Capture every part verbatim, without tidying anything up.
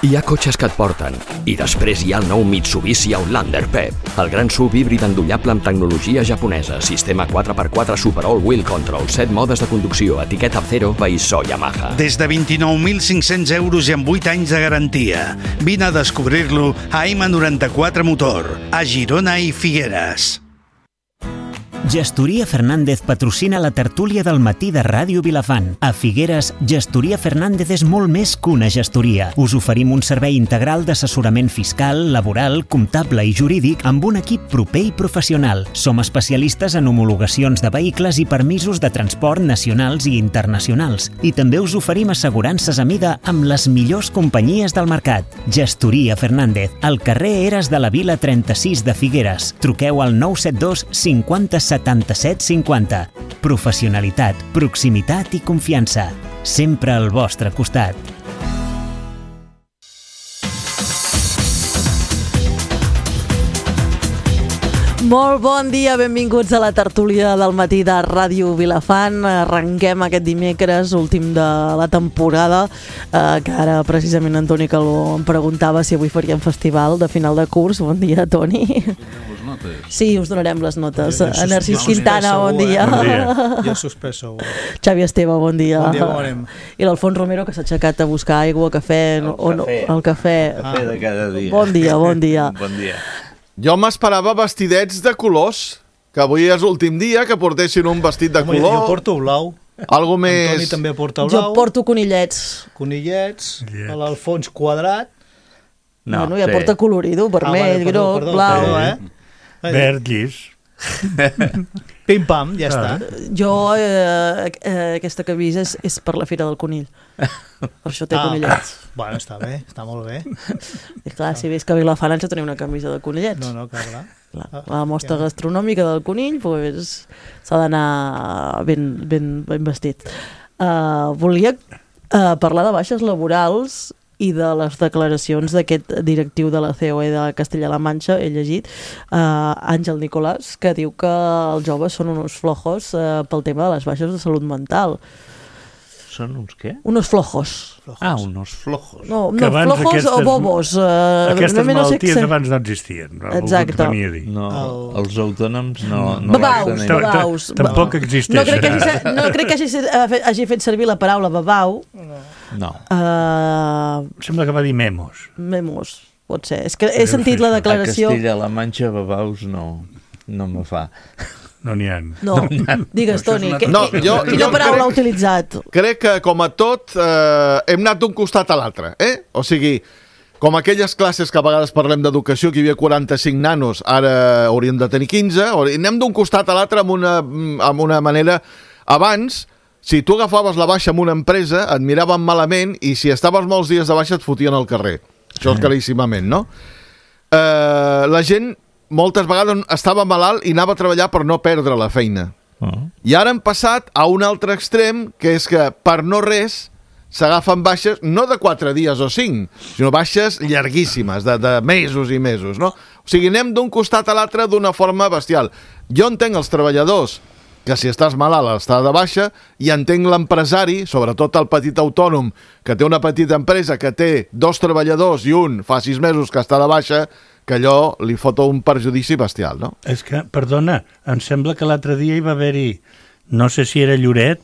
Hi ha cotxes que et porten, i després hi ha el nou Mitsubishi Outlander P E P, el gran S U V híbrid endollable amb tecnologia japonesa, sistema quatre per quatre Super All-Wheel Control, set modes de conducció, etiqueta Zero, païssó Yamaha. Des de vint-i-nou mil cinc-cents euros i amb vuit anys de garantia. Vine a descobrir-lo a M noranta-quatre Motor, a Girona i Figueres. Gestoria Fernández patrocina la tertúlia del matí de Ràdio Vilafant. A Figueres, Gestoria Fernández és molt més que una gestoria. Us oferim un servei integral d'assessorament fiscal, laboral, comptable i jurídic amb un equip proper i professional. Som especialistes en homologacions de vehicles i permisos de transport nacionals i internacionals. I també us oferim assegurances a mida amb les millors companyies del mercat. Gestoria Fernández, al carrer Eres de la Vila trenta-sis de Figueres. Truqueu al nou set dos cinquanta setanta-set cinquanta. Professionalitat, proximitat i confiança. Sempre al vostre costat. Molt bon dia, benvinguts a la tertúlia del matí de Ràdio Vilafant. Arrenquem aquest dimecres, últim de la temporada, eh, que ara precisament en Toni Calvo em preguntava si avui faríem festival de final de curs. Bon dia, Toni. Sí, us donarem les notes. Ja, Narcís Quintana, bon dia. Bon dia. Jo suspès segur. Xavi Esteve, bon dia. Bon dia, com anem? I l'Alfons Romero, que s'ha aixecat a buscar aigua, cafè... El o no, cafè. El cafè. El cafè de cada dia. Bon dia, bon dia. Bon dia. Jo m'esperava vestidets de colors, que avui és l'últim dia, que portessin un vestit de Home, color. Jo porto blau. Algo més... Antoni també porta Jo blau. porto conillets. Conillets. L'Alfons quadrat. No, bueno, ja sí. Porta colorido, vermell, ah, vale, groc, perdó, blau. Perdó, eh? Verd, llis. Pim-pam, ja ah. està. Jo, eh, eh, aquesta camisa és, és per la Fira del Conill. Per això té ah. conillets. Bueno, està bé, està molt bé. I clar, si veus que a Vilafant ens teniu una camisa de conillets. No, no, clar, clar. clar la mostra ja. gastronòmica del conill, pues, s'ha d'anar ben, ben, ben vestit. Uh, volia uh, parlar de baixes laborals i de les declaracions d'aquest directiu de la C O E de Castella-La Manxa, he llegit, eh, Àngel Nicolàs, que diu que els joves són uns flojos eh, pel tema de les baixes de salut mental. Són uns què? Unos flojos. flojos. Ah, unos flojos. No, no flojos aquestes, o bobos. Eh, aquestes no malalties sé... abans no existien. Exacte. No, el... els autònoms no... no babaus, babaus. Tampoc existeixen. No crec que hagi, no crec que hagi, hagi fet servir la paraula babau. No. No. Uh, Sembla que va dir memos. Memos, pot ser. És que he sentit la declaració... A Castella-La Manxa, babaus no, no me fa. No n'hi ha. No, digues, Toni, que, no, jo, quina jo paraula ha crec, utilitzat? Crec que, com a tot, eh, hem anat d'un costat a l'altre, eh? O sigui, com aquelles classes que a vegades parlem d'educació, que hi havia quaranta-cinc nanos, ara hauríem de tenir quinze, anem d'un costat a l'altre amb, una, amb una manera... Abans, si tu agafaves la baixa en una empresa, et miraven malament i si estaves molts dies de baixa et fotien al carrer. Això és claríssimament, no? Eh, la gent... moltes vegades estava malalt i anava a treballar per no perdre la feina. Uh-huh. I ara hem passat a un altre extrem, que és que per no res s'agafen baixes, no de quatre dies o cinc, sinó baixes llarguíssimes, de, de mesos i mesos, no? O sigui, anem d'un costat a l'altre d'una forma bestial. Jo entenc els treballadors que si estàs malalt estàs de baixa, i entenc l'empresari, sobretot el petit autònom, que té una petita empresa que té dos treballadors i un fa sis mesos que està de baixa, que allò li fot un perjudici bestial, no? És que, perdona, em sembla que l'altre dia hi va haver-hi, no sé si era Lloret,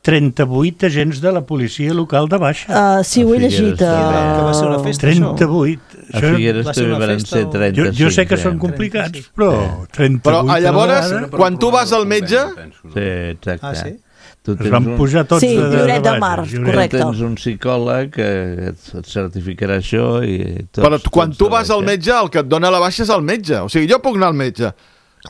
trenta-vuit agents de la policia local de baixa. Uh, sí, ho he llegit. Uh... Que va ser una festa, trenta-vuit. A Figueres també van ser trenta-cinc. Jo, jo sé que són complicats, però trenta-vuit... Però llavors, quan tu vas al metge... Sí, exacte. Ah, sí? Tu es van pujar tots sí, de, de, Lloret de, de Mar, Lloret. correcte. Tens un psicòleg que et, et certificarà això i tots, Però quan tots tu vas al metge, el que et dona la baixa és el metge. O sigui, jo puc anar al metge.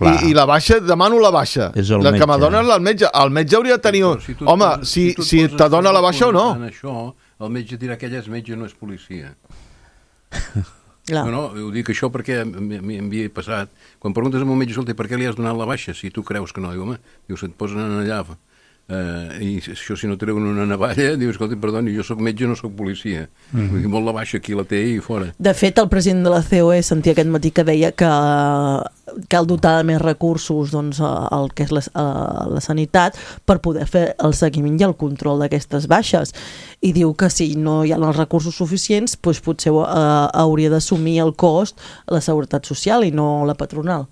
I, I la baixa, demano la baixa. És el la metge. que m'adona és el metge. El metge hauria de tenir... Si tu, Home, si, si, si t'adona la baixa o no. En això, el metge dirà que ella és metge, no és policia. Clar. No, no, ho dic això perquè m'havia passat. Quan preguntes a un metge, escolta, per què li has donat la baixa? Si tu creus que no, diu, home, diu, se't posen allà... Uh, i això si no treuen una navalla diu, escolta, perdoni, jo soc metge, no soc policia. Mm-hmm. Vull dir, molt la baixa, aquí la té i fora. De fet, el president de la C O E sentia aquest matí que deia que cal dotar de més recursos doncs, al que és la, la sanitat per poder fer el seguiment i el control d'aquestes baixes. I diu que si no hi ha els recursos suficients, doncs potser uh, hauria d'assumir el cost la Seguretat Social i no la patronal.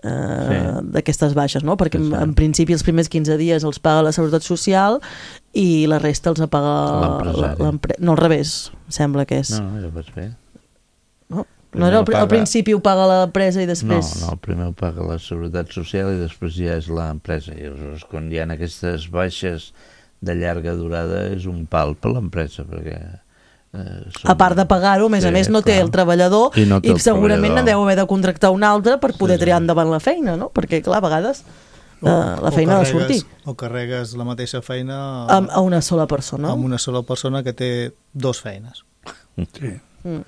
Uh, sí. D'aquestes baixes, no? Perquè en, en principi els primers quinze dies els paga la Seguretat Social i la resta els paga l'empresa. No, al revés, sembla que és. No, ja vas bé. No, no era el, paga... al principi ho paga l'empresa i després... No, no, primer ho paga la Seguretat Social i després ja és l'empresa. I aleshores, quan hi ha aquestes baixes de llarga durada, és un pal per l'empresa, perquè... Eh, som... A part de pagar-ho, a més sí, a més no clar. Té el treballador i, no té i el segurament treballador. Deu haver de contractar un altre per poder sí, triar endavant la feina, no? Perquè, clar, a vegades o, uh, la feina ha de sortir. O carregues la mateixa feina... A, a una sola persona. Amb una sola persona que té dos feines. Sí. Mm.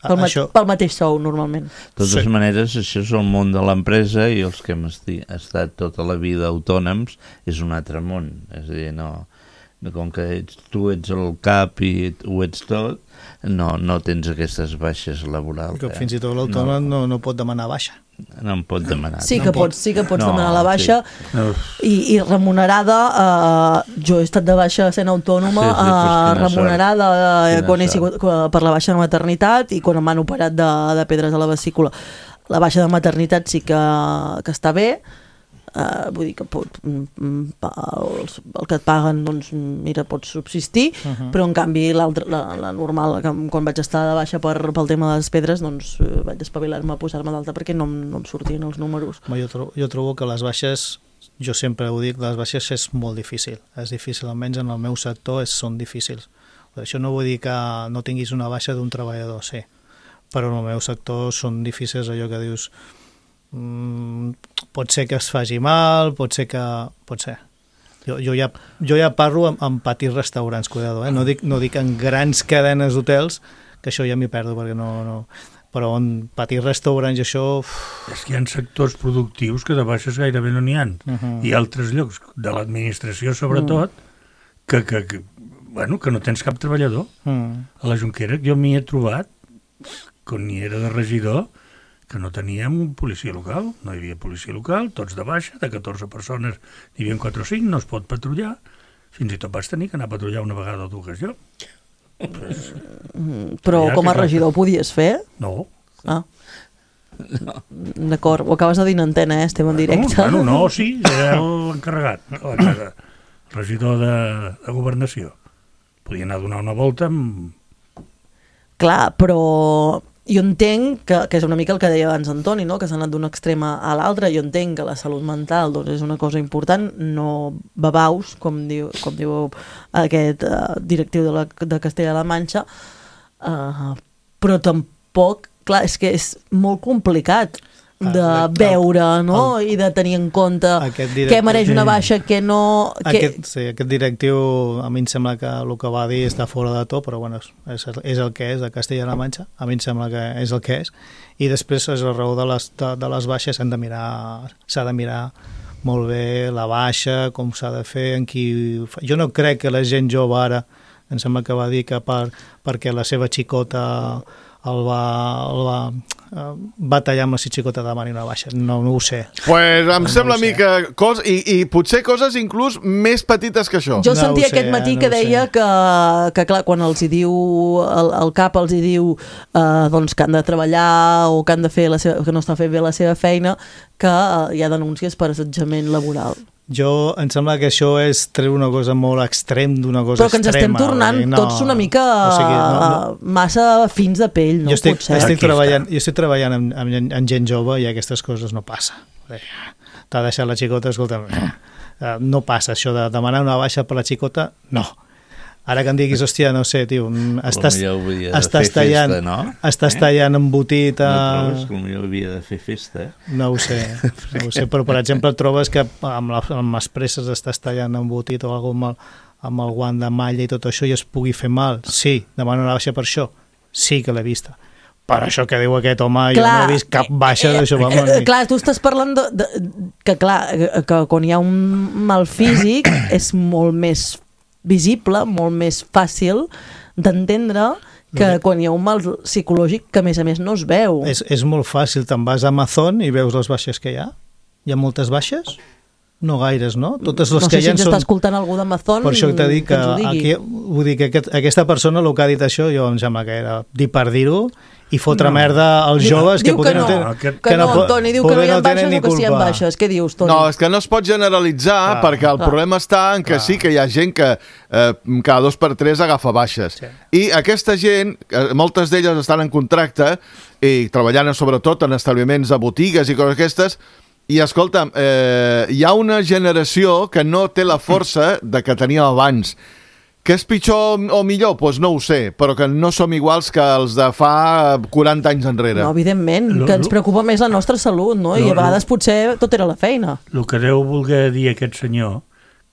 Pel, ma això... pel mateix sou, normalment. De totes sí. maneres, això és el món de l'empresa i els que hem esti... estat tota la vida autònoms és un altre món. És a dir, no... com que ets, tu ets el cap i ho ets tot, no, no tens aquestes baixes laborals. Que fins i tot l'autònom no. no, no pot demanar baixa. No em pot demanar. Sí que, no pots, sí que pots no, demanar la baixa sí. i, i remunerada. Uh, jo he estat de baixa sent autònoma, sí, sí, uh, remunerada uh, quan he sigut, per la baixa de maternitat i quan m'han operat de, de pedres a la vesícula. La baixa de maternitat sí que, que està bé. Uh, vull dir que pot, el, el que et paguen doncs mira, pots subsistir, uh -huh. però en canvi la, la normal, que quan vaig estar de baixa per, pel tema de les pedres doncs vaig espavilar-me a posar-me d'alta perquè no, no em sortien els números. Jo trobo, jo trobo que les baixes, jo sempre ho dic, les baixes és molt difícil, és difícil, almenys en el meu sector és, són difícils. Això no vull dir que no tinguis una baixa d'un treballador, sí, però en el meu sector són difícils, allò que dius Mm, pot ser que es faci mal, pot ser que... pot ser. Jo, jo, ja, jo ja parlo amb, amb petits restaurants, cuidado, eh? no, dic, no dic en grans cadenes d'hotels, que això ja m'hi perdo, perquè no... no però en petits restaurants això... Uf. És que hi ha sectors productius que de baixes gairebé no n'hi ha. Uh -huh. I altres llocs, de l'administració sobretot, uh -huh. que, que, que, bueno, que no tens cap treballador. Uh -huh. A la Jonquera jo m'hi he trobat, quan hi era de regidor, que no teníem un policia local, no hi havia policia local, tots de baixa, de catorze persones, n'hi havia quatre o cinc, no es pot patrullar, fins i tot vas tenir que anar a patrullar una vegada o dues jo. Pues, però com a regidor ho podies fer? No. Ah. No. D'acord, ho acabes de dir en antena, eh? Estem en directe. No, no, no sí, era l'encarregat, la casa, regidor de, de governació. Podia anar a donar una volta amb... Clar, però... Jo entenc que, que és una mica el que deia abans Antoni, no? Que s'ha anat d'un extrem a l'altre. Jo entenc que la salut mental doncs, és una cosa important, no babaus, com diu, com diu aquest uh, directiu de, la, de Castella-La Manxa, uh, però tampoc, clar, és que és molt complicat de ah, veure, no? El, I de tenir en compte què mereix una baixa, què no... Aquest, que... Sí, aquest directiu, a mi em sembla que el que va dir està fora de to, però bueno, és, és el que és, de Castella-La Manxa, a mi em sembla que és el que és, i després és la raó de les, de, de les baixes, s'han de mirar, s'ha de mirar molt bé la baixa, com s'ha de fer, en qui... Jo no crec que la gent jove ara, em sembla que va dir que per, perquè la seva xicota el va, el va, uh, va tallar amb la xicota de demani una baixa. No, no ho sé. Pues em no sembla a mi que... Cos, i, I potser coses inclús més petites que això. Jo no sentia sé, aquest matí no que deia que, que, clar, quan els hi diu, el, el cap els hi diu uh, doncs que han de treballar o que han de fer la seva, que no estan fent bé la seva feina, que uh, hi ha denúncies per assetjament laboral. Jo, em sembla que això és treure una cosa molt extrem d'una cosa extrema. Però que ens estem tornant no, tots una mica o sigui, no, no. massa fins de pell, no jo estic, pot ser. Estic treballant, jo estic treballant amb, amb, amb gent jove i aquestes coses no passa. T'ha deixat la xicota, escolta, no passa això de demanar una baixa per la xicota, no. Ara que em diguis, hòstia, no sé, tio, estàs, estàs tallant, festa, no? estàs eh? tallant embotit a... No trobes que potser havia de fer festa? Eh? No ho sé, no ho sé, però per exemple trobes que amb, la, amb les presses estàs tallant embotit o alguna amb, amb el guant de malla i tot això i es pugui fer mal. Sí, demano una baixa per això. Sí que l'he vista. Per això que diu aquest home, clar, jo no he vist cap baixa eh, d'això. Eh, clar, tu estàs parlant de, de, que clar, que quan hi ha un mal físic és molt més visible, molt més fàcil d'entendre que quan hi ha un mal psicològic que a més a més no es veu. És, és molt fàcil, te'n vas a Amazon i veus les baixes que hi ha. Hi ha moltes baixes? No gaires, no? Totes les no que sé hi si ha ens són... està escoltant algú d'Amazon per això t'he dit que, que ens ho digui. aquí, vull dir que aquest, aquesta persona el que ha dit això, jo em sembla que era dir per dir-ho i fotre No. merda als Diu- joves diu que, que no, tenen, que- que no, po- Toni, diu que no poder hi ha no tenen baixes ni o que sí hi ha culpa. baixes. Què dius, Toni? No, és que no es pot generalitzar, Clar, perquè el clar. problema està en que Clar. sí que hi ha gent que eh, cada dos per tres agafa baixes. Sí. I aquesta gent, eh, moltes d'elles estan en contracte i treballant sobretot en establiments de botigues i coses aquestes, i escolta'm, eh, hi ha una generació que no té la força de que tenia abans. Que és pitjor o millor? Doncs pues no ho sé, però que no som iguals que els de fa quaranta anys enrere. No, evidentment, Lo- que ens lo- preocupa més la nostra salut, no? I Lo- a vegades potser tot era la feina. El que deu voler dir aquest senyor,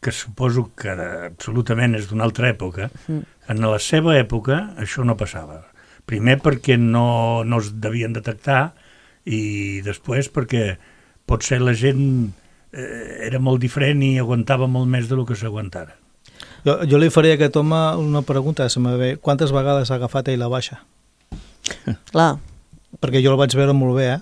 que suposo que absolutament és d'una altra època, mm. en la seva època això no passava. Primer perquè no, no es devien detectar i després perquè potser la gent eh, era molt diferent i aguantava molt més del que s'aguantara. Jo, jo li faria a aquest home una pregunta, se me ve, quantes vegades ha agafat ell la baixa? Clar. Perquè jo el vaig veure molt bé, eh?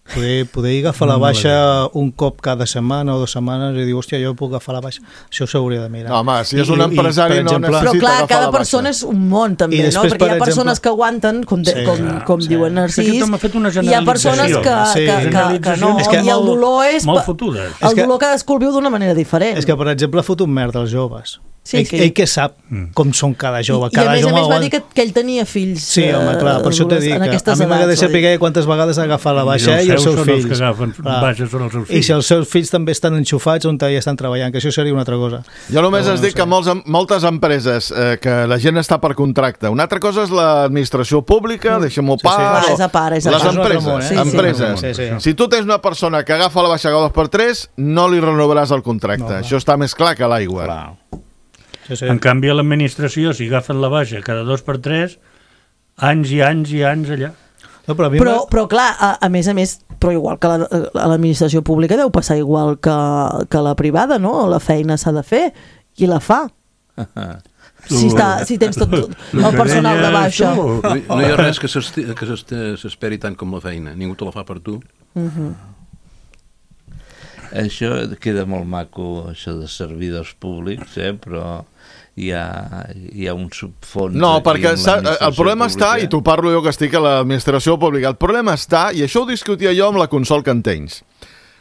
Poder, poder agafar la No, no baixa la un cop cada setmana o dues setmanes i dir, hòstia, jo puc agafar la baixa. Això s'hauria de mirar. No, home, si és I- un i, empresari per no exemple, necessita Però clar, agafar cada la baixa. persona és un món també, I no? després, Perquè hi ha per persones exemple- que aguanten, com, de, Sí, com, com sí. diuen És que Narcís, aquest home ha fet una i hi ha persones que, generalització. Sí. que, que, que no, Generalitzacions És que- i el dolor és... molt fotudes. És El que- dolor cadascú el viu d'una manera diferent. És que, per exemple, ha fotut merda als joves. Sí, ell, que- ell que sap Mm. com són cada jove. I, i a cada més a jove més va aguanta- dir que, que ell tenia fills Sí, home, clar, per això t'he dit en que a aquestes mi m'agradaria edats, vull dir. saber quantes vegades ha agafat la baixa I els ell i els seus seus són els fills. que agafen Clar. baixes són els seus I fills. si els seus fills també estan enxufats on ja estan treballant, que això seria una altra cosa. Jo només Però es no dic sé. que molts, moltes empreses eh, que la gent està per contracte. Una altra cosa és l'administració pública, deixem-ho Sí, sí. part. Clar, o- és a part, és a les part. empreses, És un altre món, eh? Sí, sí. empreses. Sí, sí. Si tu tens una persona que agafa la baixa cada dos per tres, no li renovaràs el contracte. No, clar. Això està més clar que l'aigua. Clar. Sí, sí. En canvi, a l'administració, si agafen la baixa cada dos per tres, anys i anys i anys allà. No, però, a mi Però, m'ha- però clar, a, a més a més, però igual que la- a l'administració pública deu passar igual que, que la privada, no? La feina s'ha de fer i la fa. Si, està, si tens tot, tot Lo el que personal de deies baixa. tu. No hi- no hi ha res que s'esti- que s'esti- s'esperi tant com la feina. Ningú te la fa per tu. Això queda molt maco, això de servidors públics, eh? Però hi ha, hi ha un subfons... No, aquí perquè amb sa- el l'administració problema està, pública. i t'ho parlo jo que estic a l'administració pública, el problema està, i això ho discutia jo amb la Consol Cantenys,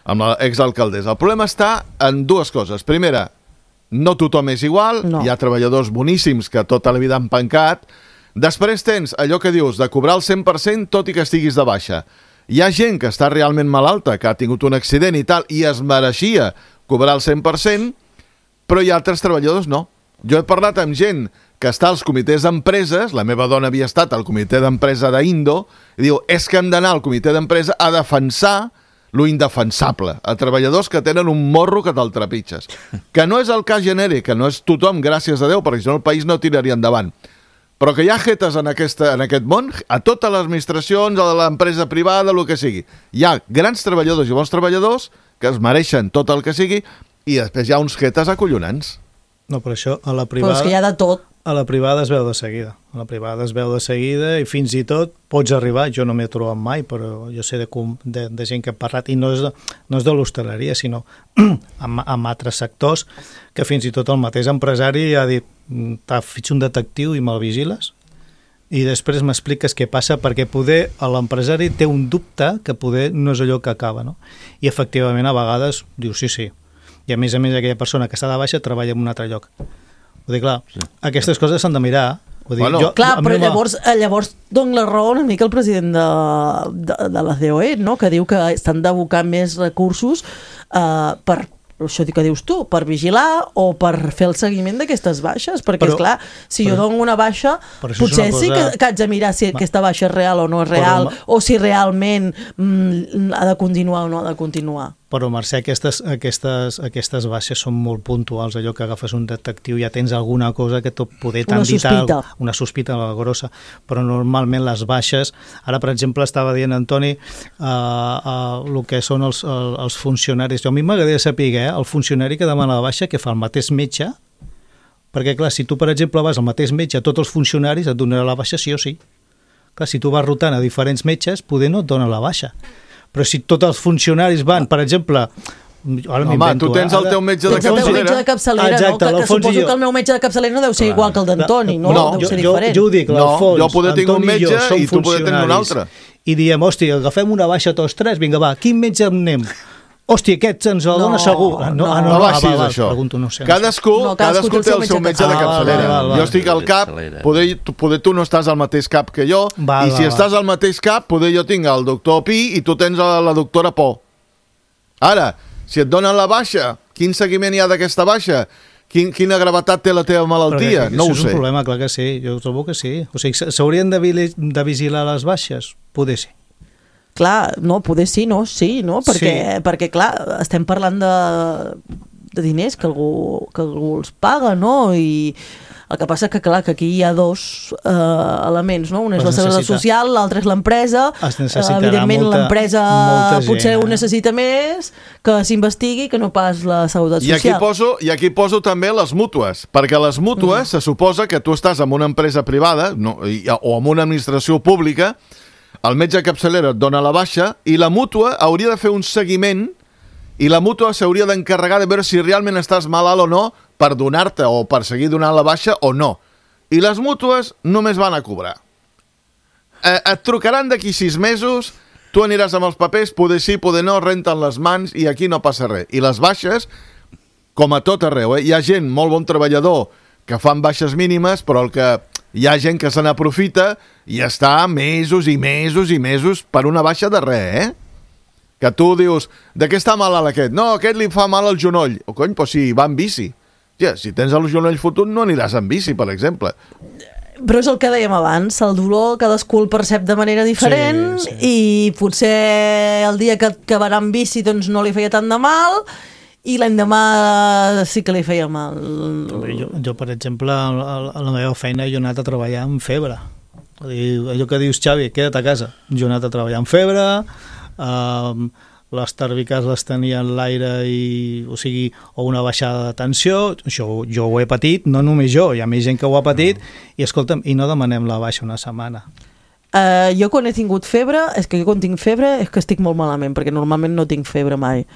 amb l'exalcaldessa, el problema està en dues coses. Primera, no tothom és igual, No. hi ha treballadors boníssims que tota la vida han pencat. Després tens allò que dius, de cobrar el cent per cent tot i que estiguis de baixa. Hi ha gent que està realment malalta, que ha tingut un accident i tal, i es mereixia cobrar el cent per cent, però hi ha altres treballadors no. Jo he parlat amb gent que està als comitès d'empreses, la meva dona havia estat al comitè d'empresa d'Indo, i diu, és que hem d'anar al comitè d'empresa a defensar lo indefensable, a treballadors que tenen un morro que te'l trepitges. Que no és el cas genèric, que no és tothom, gràcies a Déu, perquè si no el país no tiraria endavant. Però que hi ha jetes en, aquesta, en aquest món, a totes les administracions, a l'empresa privada, el que sigui. Hi ha grans treballadors i bons treballadors que es mereixen tot el que sigui i després hi ha uns jetes acollonants. No, però això a la Però privada... és que hi ha de tot. A la privada es veu de seguida. A la privada es veu de seguida i fins i tot pots arribar, jo no m'he trobat mai, però jo sé de, com, de, de gent que he parlat, i no és de, no és de l'hostaleria, sinó amb, amb altres sectors, que fins i tot el mateix empresari ha dit, t'ha fet un detectiu i me'l vigiles, i després m'expliques què passa, perquè poder l'empresari té un dubte que poder no és allò que acaba, no? I efectivament a vegades diu sí, sí, i a més a més aquella persona que està de baixa treballa en un altre lloc. Vull dir, clar, sí. Aquestes coses s'han de mirar. Vull dir, Bueno, jo, Clar, a mi però no m'ha- llavors, eh, llavors dona la raó una mica el president de, de, de la C O E, no? Que diu que estan d'abocar més recursos eh, per, això que dius tu, per vigilar o per fer el seguiment d'aquestes baixes, perquè, Però- esclar, si jo però- dono una baixa, però això és potser una sí que, cosa- que haig de mirar si aquesta baixa és real o no és Però, real, ma- o si realment mm, ha de continuar o no ha de continuar. Però, Mercè, aquestes, aquestes, aquestes baixes són molt puntuals, allò que agafes un detectiu, ja tens alguna cosa que tot poder Una t'han dit sospita. al- una sospita grossa, però normalment les baixes, ara per exemple estava dient Antoni uh, uh, el que són els, el, els funcionaris, jo a mi m'agradaria saber, eh, el funcionari que demana la baixa, que fa el mateix metge Perquè, clar, si tu, per exemple, vas al mateix metge a tots els funcionaris, et donarà la baixa sí o sí. Clar, si tu vas rotant a diferents metges, poder no et dona la baixa. Però si tots els funcionaris van, per exemple... Ara Home, tu tens el teu metge de capçalera. El teu metge de capçalera, Exacte, no? Que, que suposo que el meu metge de capçalera no deu ser igual que el d'Antoni, no? no Deu ser jo, diferent. Jo ho dic, l'Alfons, no, jo poder tinc un metge i, i tu poder tenir un altre. I diem, hòstia, agafem una baixa tots tres, vinga, va, quin metge anem? Hòstia, aquest ens el no, dona segur. No, no, ah, no, no, no va ah, així, va, això. Pregunto, no sé. Cadascú, no, cadascú, cadascú té el seu metge de capçalera. Ah, val, val, jo estic al cap, poder, poder tu no estàs al mateix cap que jo, val, i si val, estàs val. al mateix cap, poder jo tinc el doctor Pi i tu tens la doctora Po. Ara, si et donen la baixa, quin seguiment hi ha d'aquesta baixa? Quin, quina gravetat té la teva malaltia? Però no ho sé. sé. És un problema, clar que sí, jo trobo que sí. O sigui, s'haurien de, de vigilar les baixes? Poder sí. Clar, no, poder sí, no, sí, no? Perquè, sí. perquè clar, estem parlant de, de diners que algú, que algú els paga, no? I el que passa que, clar, que aquí hi ha dos eh, elements, no? Un és la seguretat social, l'altre és l'empresa. Es necessitarà evidentment, molta, l'empresa molta gent, potser eh? ho necessita més que s'investigui que no pas la seguretat I social. aquí, poso, I aquí poso també les mútues, perquè les mútues mm. se suposa que tu estàs en una empresa privada no, i, o en una administració pública, el metge capçalera et dona la baixa i la mútua hauria de fer un seguiment i la mútua s'hauria d'encarregar de veure si realment estàs malalt o no per donar-te o per seguir donant la baixa o no. I les mútues només van a cobrar. Eh, et trucaran d'aquí sis mesos, tu aniràs amb els papers, poder sí, poder no, renten les mans i aquí no passa res. I les baixes, com a tot arreu, eh? Hi ha gent, molt bon treballador, que fan baixes mínimes, però el que hi ha gent que se n'aprofita i està mesos i mesos i mesos per una baixa de res, eh? Que tu dius, de què està malalt aquest? No, aquest li fa mal al genoll. O cony, però si va en bici. Ja, si tens el genoll fotut no aniràs en bici, per exemple. Però és el que dèiem abans, el dolor cadascú el percep de manera diferent sí, sí. I potser el dia que, que va anar en bici doncs no li feia tant de mal i l'endemà sí que li feia mal. Jo, jo per exemple, a la meva feina jo he anat a treballar amb febre. Allò que dius, Xavi, queda't a casa. Jo he anat a treballar amb febre, Um, les tèrbiques les tenia en l'aire i, o sigui, o una baixada de tensió, això jo ho he patit, no només jo, hi ha més gent que ho ha patit no. I escolta'm, i no demanem la baixa una setmana. Uh, jo quan he tingut febre, és que jo quan tinc febre és que estic molt malament, perquè normalment no tinc febre mai.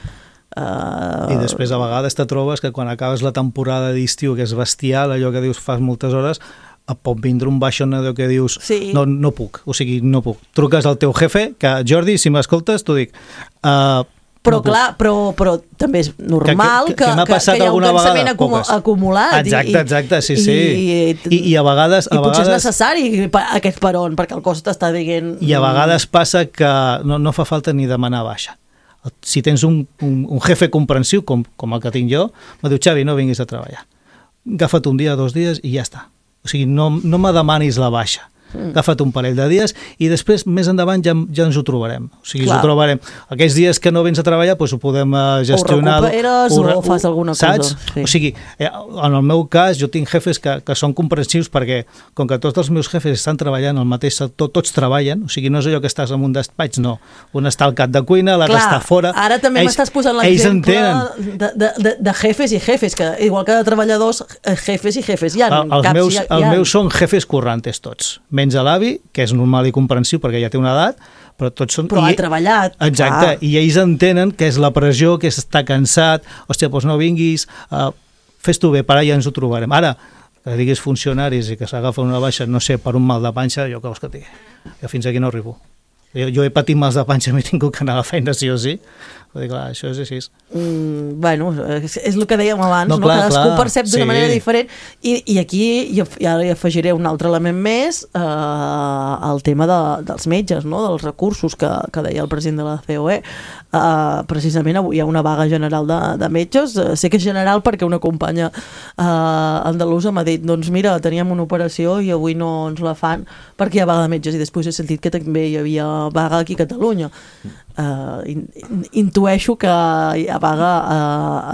Uh... I després a vegades te trobes que quan acabes la temporada d'estiu, que és bestial, allò que dius fas moltes hores, et pot vindre un baixón allò que dius sí. no, no puc, o sigui, no puc. Truques al teu jefe, que Jordi, si m'escoltes, t'ho dic. Uh, però no clar, però, però també és normal que, que, que, que, que hi ha un cansament acum acumulat. Exacte, exacte, sí, sí. I, I, i a vegades... I a potser vegades, és necessari aquest peron, perquè el cos t'està dient... I a vegades passa que no, no fa falta ni demanar baixa. Si tens un, un, un jefe comprensiu, com, com el que tinc jo, me diu, Xavi, no vinguis a treballar. Agafa't un dia, dos dies i ja està. O sigui, no, no me demanis la baixa. Mm. Agafa't un parell de dies i després, més endavant, ja, ja ens ho trobarem. O sigui, ens ho trobarem. Aquells dies que no vens a treballar, doncs ho podem gestionar. O recuperes o, o fas alguna saps? cosa. Sí. O sigui, en el meu cas, jo tinc jefes que, que són comprensius perquè, com que tots els meus jefes estan treballant al mateix sector, tots treballen, o sigui, no és allò que estàs en un despatx, no. Un està al cap de cuina, l'altre està fora. Ara també m'estàs posant l'exemple de, de, de, de jefes i jefes, que igual que de treballadors, jefes i jefes. Hi ha el, els caps, meus, hi ha, els hi ha... meus són jefes currantes tots. Menys a l'avi, que és normal i comprensiu perquè ja té una edat, però tots són... Però I, ha treballat. Exacte, ah. I ells entenen que és la pressió, que està cansat, hòstia, doncs no vinguis, uh, fes-t'ho bé, per allà ens ho trobarem. Ara, que diguis funcionaris i que s'agafen una baixa, no sé, per un mal de panxa, jo què vols que et digui? Jo fins aquí no arribo. Jo, jo he patit mals de panxa, m'he tingut que anar a la feina sí o sí. Vull dir, clar, això és així. Mm, bueno, és, és el que dèiem abans, no, no? Clar, Cadascú clar. percep d'una sí. manera diferent i, i aquí jo, ja hi afegiré un altre element més, eh, el tema de, dels metges, no? Dels recursos que, que deia el president de la C O E. Eh, precisament avui hi ha una vaga general de, de metges, eh, sé que és general perquè una companya eh, andalusa m'ha dit, doncs mira, teníem una operació i avui no ens la fan perquè hi ha vaga de metges, i després he sentit que també hi havia vaga aquí a Catalunya. Uh, in, in, intueixo que hi ha vaga a,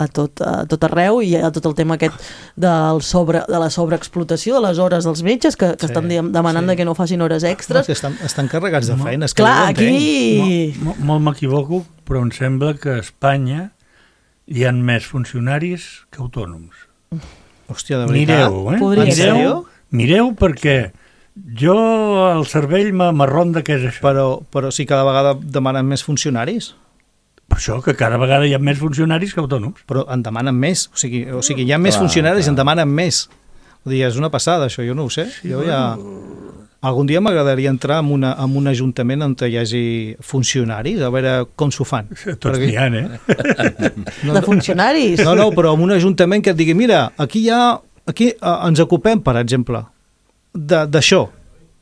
a, tot, a tot arreu i hi ha tot el tema aquest del sobre, de la sobreexplotació de les hores dels metges que, que sí, estan demanant sí. de que no facin hores extres. No, estan, estan carregats de feina. No, clar, aquí... Molt, molt m'equivoco, però em sembla que a Espanya hi ha més funcionaris que autònoms. Hòstia, de veritat. Mireu, eh? Podria ser. Mireu, mireu perquè jo el cervell m'arronda què és això. Però, però sí cada vegada demanen més funcionaris. Per això que cada vegada hi ha més funcionaris que autònoms. Però en demanen més. O sigui, o sigui hi ha més Clar, funcionaris i clar. en demanen més. Vull dir, és una passada, això, jo no ho sé. Sí, jo ja... Algun dia m'agradaria entrar en, una, en un ajuntament on hi hagi funcionaris, a veure com s'ho fan. Tots n'hi ha, eh? De funcionaris. No, no, però en un ajuntament que et digui, mira, aquí hi ha... Aquí eh, ens ocupem, per exemple, de- d'això.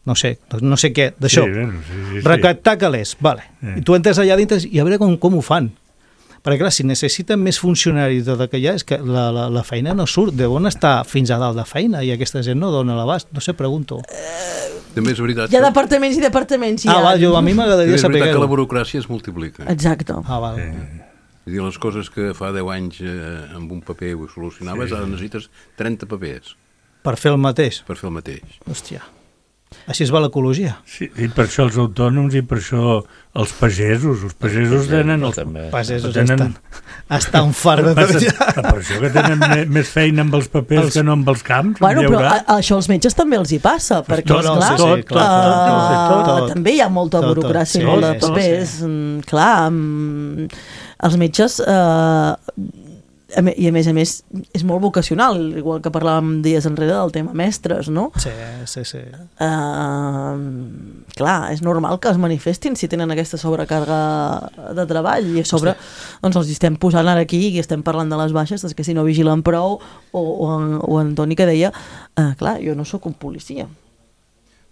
No sé, no sé què, d'això. Sí, bueno, sí, sí, sí. Recaptar calés, vale. Eh. I tu entres allà dintre i a veure com, com ho fan. Perquè, clar, si necessiten més funcionaris de que hi ha, és que la, la, la feina no surt. De on està fins a dalt de feina? I aquesta gent no dona l'abast. No sé, pregunto. També és veritat. Hi ha que- departaments i departaments. Hi Ah, ha... va, jo, a mi m'agradaria és saber veritat que la què. burocràcia es multiplica. Exacte. Ah, val. És a dir, les coses que fa deu anys eh, amb un paper ho solucionaves, ara necessites trenta papers Per fer el mateix. per fer el mateix. Hòstia. Així es va l'ecologia. Sí, i per això els autònoms i per això els pagesos. Els pagesos tenen... Els, També. Pagesos tenen- estan, estan fart de Passa- treballar. per això que tenen me- més feina amb els papers Els- que no amb els camps. Bueno, hi però haurà. a, això als metges també els hi passa, perquè, tot, esclar, no, sí, sí, clar, eh, tot, tot, tot. també hi ha molta Tot, tot, burocràcia sí, i molt de sí, papers. sí. Mm, Clar, mm, els metges... Eh, a me- I a més a més és molt vocacional, igual que parlàvem dies enrere del tema mestres, no? Sí, sí, sí. Uh, clar, és normal que es manifestin si tenen aquesta sobrecàrrega de treball i a sobre doncs els estem posant ara aquí i estem parlant de les baixes, és que si no vigilen prou o, o, en, o en Toni que deia uh, clar, jo no sóc un policia.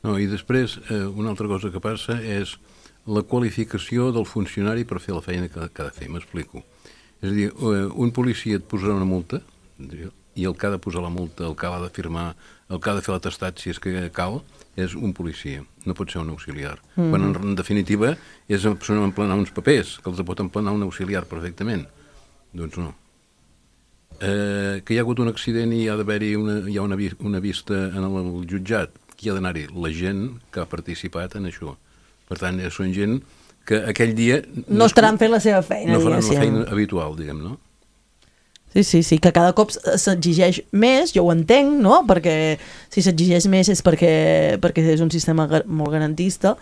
No, i després, eh, una altra cosa que passa és la qualificació del funcionari per fer la feina que, que ha de fer, m'explico. És a dir, eh, un policia et posarà una multa i el que ha de posar la multa, el que ha de firmar, el que ha de fer l'atestat, si és que cal, és un policia, no pot ser un auxiliar. Mm-hmm. Quan en, en definitiva és una persona emplenar uns papers, que els pot emplenar un auxiliar perfectament. Doncs no. Eh, que hi ha hagut un accident i hi ha d'haver-hi una, hi ha una, vi- una vista en el, el jutjat, qui ha d'anar-hi? La gent que ha participat en això. Per tant, són gent que aquell dia... No estaran fent la seva feina, no faran la diguéssim. feina habitual, diguem, no? Sí, sí, sí, que cada cop s'exigeix més, jo ho entenc, no? Perquè si s'exigeix més és perquè, perquè és un sistema gar molt garantista,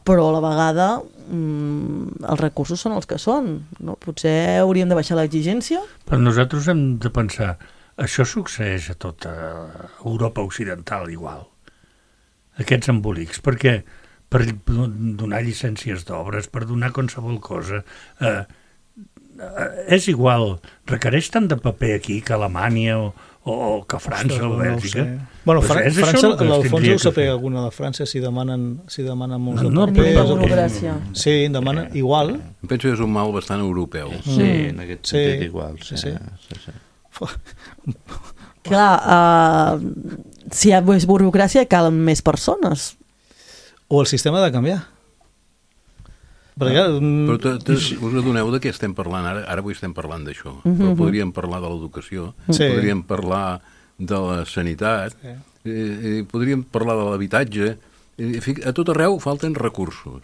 però a la vegada mmm, els recursos són els que són. No? Potser hauríem de baixar l'exigència? Però nosaltres hem de pensar, això succeeix a tota Europa occidental igual, aquests embolics, perquè per donar llicències d'obres, per donar qualsevol cosa, eh, eh, és igual, requereix tant de paper aquí que a Alemanya o, o que a França o a Bèlgica. No sé. Bueno, Pues Fran és això França, el que es l'Alfons tindria ho que sapega fer. alguna de França si demanen, si demanen molts de No, papers. però- o- burocràcia. Sí, demanen igual. Em penso que és un mal bastant europeu. Sí, en aquest Sí. sentit igual. Sí, Sí. sí. sí. Clar, uh, si hi ha més burocràcia calen més persones. O el sistema ha de canviar. Perquè, clar, mm, Però te, te, us adoneu de què estem parlant ara? Ara avui estem parlant d'això, però podríem parlar de l'educació, Sí. podríem parlar de la sanitat, Sí. eh, eh, podríem parlar de l'habitatge. Eh, fi- A tot arreu falten recursos.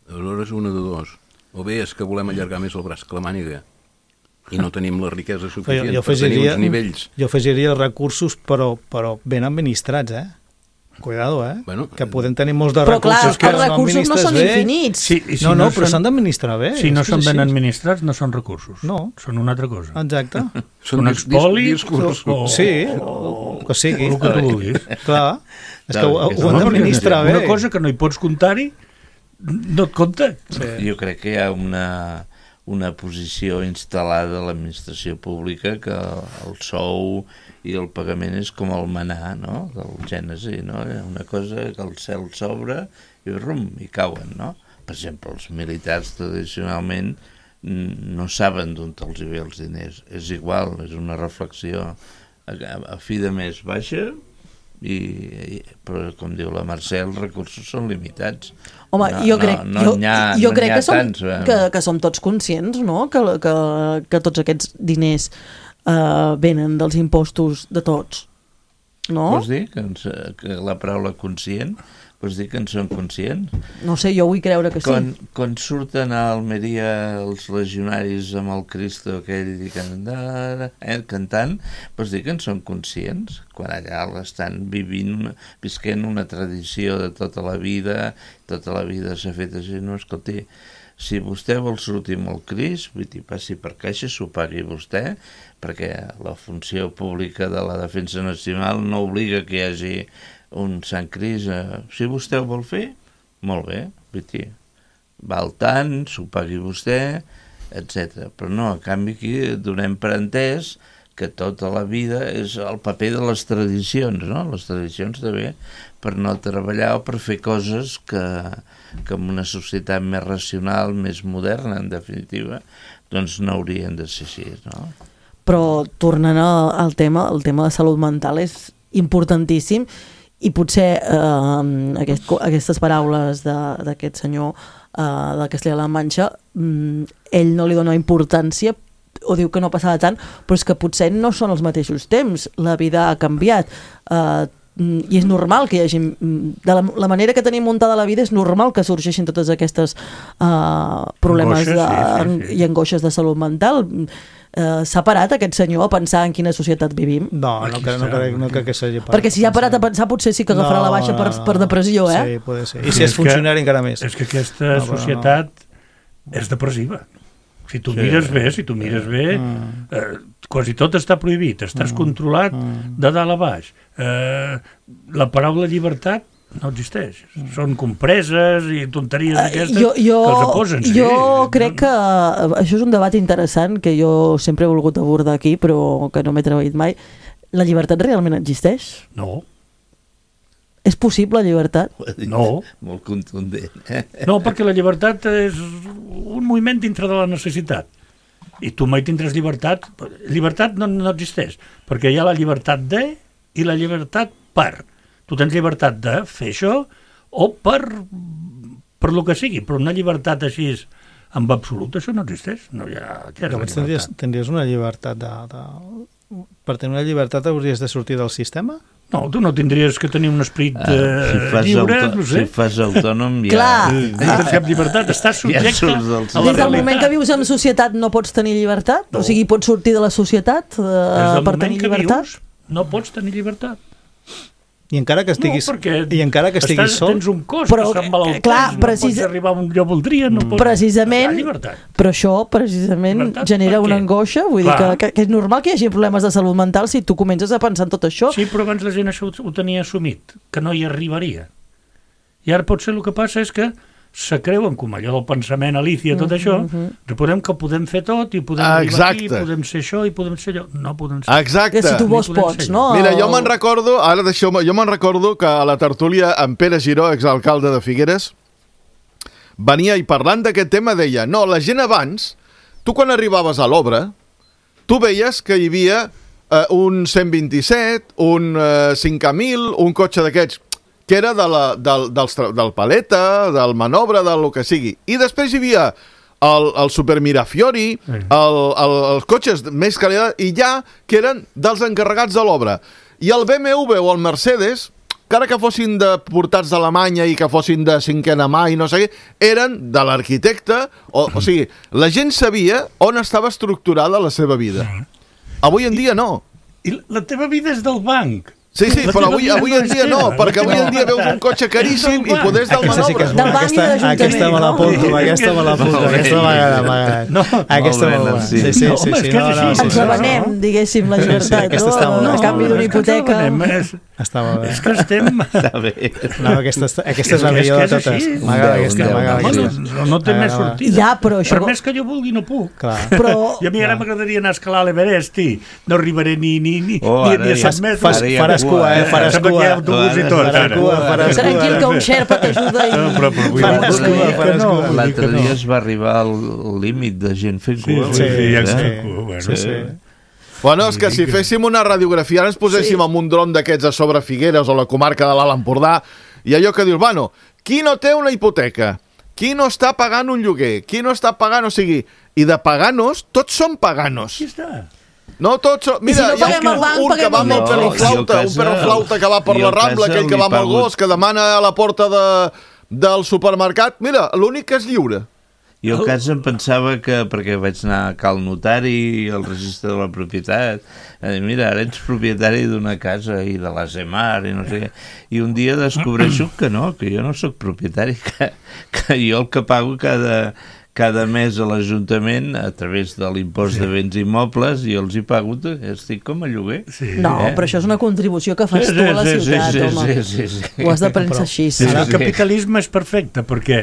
Aleshores, una de dos. O bé és que volem allargar més el braç que la màniga i no tenim la riquesa jo, suficient jo, per tenir afegiria, uns nivells. jo afegiria recursos, però, però ben administrats, eh? Cuidado, eh? Bueno, que podem tenir molts de Però clar, recursos els que recursos no administres són bé. infinits. Sí, i si no, no, però són- s'han d'administrar bé. Si no és que són és ben així. administrats, no són recursos. No. Són una altra cosa. Exacte. Són un dis- dis- espoli discursos. o- Sí, o, o que sigui. El que tu vulguis. Clar, és que Clar, ho, que ho han no, d'administrar bé. Una cosa que no hi pots comptar-hi, no et compta. Sí. Jo crec que hi ha una, una posició instal·lada a l'administració pública que el sou i el pagament és com el manar, no?, del Gènesi, no? Una cosa que el cel s'obre i rum, i cauen, no? Per exemple, els militars tradicionalment mm, no saben d'on els hi ve els diners. És igual, és una reflexió a, a fi de mes baixa, i, i, però com diu la Mercè, els recursos són limitats. Home, no, jo crec, no, no jo, n'hi ha, jo no crec n'hi ha que, som, tants, eh? que, que som tots conscients, no?, que, que, que tots aquests diners uh, venen dels impostos de tots, no? Vols dir que, ens, que la paraula conscient Vols dir que en són conscients? No sé, jo vull creure que sí. Quan, quan surten a Almeria els legionaris amb el Cristo aquell i cantant, eh, cantant, vols dir que en són conscients? Quan allà l'estan vivint, una, visquent una tradició de tota la vida, tota la vida s'ha fet així, no, escolti, si vostè vol sortir amb el Crist, vull dir, passi per caixa, s'ho pagui vostè, perquè la funció pública de la defensa nacional no obliga que hi hagi un Sant Crist. Eh, si vostè ho vol fer, molt bé, vull dir, val tant, s'ho pagui vostè, etcètera. Però no, a canvi aquí donem per entès que tota la vida és el paper de les tradicions, no? Les tradicions també per no treballar o per fer coses que, que en una societat més racional, més moderna, en definitiva, doncs no haurien de ser així, no? Però tornant al tema, el tema de salut mental és importantíssim i potser eh, aquest, aquestes paraules d'aquest senyor eh, de Castella-La Manxa, mm, ell no li dona importància o diu que no passava tant, però és que potser no són els mateixos temps, la vida ha canviat, eh, i és normal que hi hagi, de la, la manera que tenim muntada la vida és normal que sorgeixin totes aquestes uh, problemes Angoixes, de, sí, sí, sí. i angoixes de salut mental. Uh, s'ha parat aquest senyor a pensar en quina societat vivim? No, no, no, no, crec, no crec que s'hagi parat. Perquè si ja ha parat a pensar potser sí que agafarà no, la baixa per, per depressió, eh? Sí, pot ser. I si és funcionari que, encara més. És que aquesta no, societat no. és depressiva. Si tu sí. mires bé, si tu mires bé, mm. eh, quasi tot està prohibit, estàs mm. controlat mm. de dalt a baix. Eh, la paraula llibertat no existeix. Mm. Són compreses i tonteries d'aquestes uh, que els aposen. Sí. Jo crec que això és un debat interessant que jo sempre he volgut abordar aquí, però que no m'he treballat mai. La llibertat realment existeix? No. És possible la llibertat? No. Molt contundent. Eh? No, perquè la llibertat és un moviment dintre de la necessitat. I tu mai tindràs llibertat. Llibertat no, no existeix, perquè hi ha la llibertat de i la llibertat per. Tu tens llibertat de fer això o per, per lo que sigui, però una llibertat així en absolut, això no existeix. No hi ha... Llavors tindries, tindries una llibertat de, de... Per tenir una llibertat hauries de sortir del sistema? No, tu no tindries que tenir un esperit uh, si fas lliure, auto, no sé. Si fas autònom ja... Clar. No tens cap llibertat, estàs subjecte ja a la Des del realitat. moment que vius en societat no pots tenir llibertat? No. O sigui, pots sortir de la societat uh, per tenir llibertat? Vius, no pots tenir llibertat. I encara que estiguis, no, i encara que estiguis estàs, sol... tens un cos però, que se'n malalteix, clar, no precis... pots arribar on jo voldria, no pots... Precisament, però això precisament llibertat, genera una angoixa, vull clar. dir que, que, que és normal que hi hagi problemes de salut mental si tu comences a pensar en tot això. Sí, però abans la gent això ho, ho tenia assumit, que no hi arribaria. I ara potser el que passa és que se creuen com allò del pensament Alicia, tot això, mm-hmm. recordem que podem fer tot i podem ah, arribar aquí, podem ser això i podem ser allò. No podem ser. Exacte. Que si tu vols pots, no? Mira, jo me'n recordo, ara deixeu-me, jo me'n recordo que a la tertúlia en Pere Giró, exalcalde de Figueres, venia i parlant d'aquest tema deia, no, la gent abans, tu quan arribaves a l'obra, tu veies que hi havia eh, un cent vint-i-set, un eh, cinc mil, un cotxe d'aquests, que era de la, del, del, del paleta, del manobre, del que sigui. I després hi havia el, el Super Mirafiori, sí. el, el, els cotxes més qualitat, i ja que eren dels encarregats de l'obra. I el B M W o el Mercedes, encara que fossin de portats d'Alemanya i que fossin de cinquena mà i no sé què, eren de l'arquitecte, o, o sigui, la gent sabia on estava estructurada la seva vida. Avui en dia no. I la teva vida és del banc. Sí, sí, però avui, avui en dia no, perquè avui en dia veus un cotxe caríssim i poders del manobre. Del banc i de l'Ajuntament. Aquesta me l'apunto, aquesta me l'apunto, aquesta m'agrada, m'agrada. Aquesta me l'apunto. Sí, sí, sí. Ens abanem, diguéssim, la llibertat, no? A canvi d'una hipoteca. Està molt bé. És que estem... Està bé. No, aquesta és la millor de totes. M'agrada aquesta, m'agrada aquesta. No té més sortida. Ja, però això... Per més que jo vulgui, no puc. Però... I a mi ara m'agradaria anar a escalar l'Everest, i no arribaré ni a set metres. Faràs cua, eh? Faràs cua. Faràs cua, faràs cua. Tranquil, que un Xerpa t'ajuda i... Faràs cua, faràs cua. L'altre dia es va arribar al límit de gent fent cua. Sí, ja està cua. Sí, sí. Bueno, és que si féssim una radiografia, ara ens poséssim sí. amb un dron d'aquests a sobre Figueres o la comarca de l'Alt Empordà, i allò que dius, bueno, qui no té una hipoteca? Qui no està pagant un lloguer? Qui no està pagant? O sigui, i de paganos, tots són paganos. Aquí està. No tots són... Mira, si no hi ha paguem al banc, un que paguem va al amb el metge. perroflauta, un perroflauta que va per la Rambla, aquell que va amb el gos, que demana a la porta de, del supermercat. Mira, l'únic que és lliure. Jo a casa em pensava que, perquè vaig anar a cal notari i el registre de la propietat, eh, mira, ara ets propietari d'una casa i de la Zemar i no sé què, i un dia descobreixo que no, que jo no sóc propietari, que, que jo el que pago cada, cada mes a l'Ajuntament a través de l'impost sí. de béns immobles i els hi pago, estic com a lloguer. Sí. No, eh? Però això és una contribució que fas sí, tu a la sí, ciutat, sí, home. Sí, sí, sí, sí. Ho has de pensar així. Sí. El capitalisme és perfecte, perquè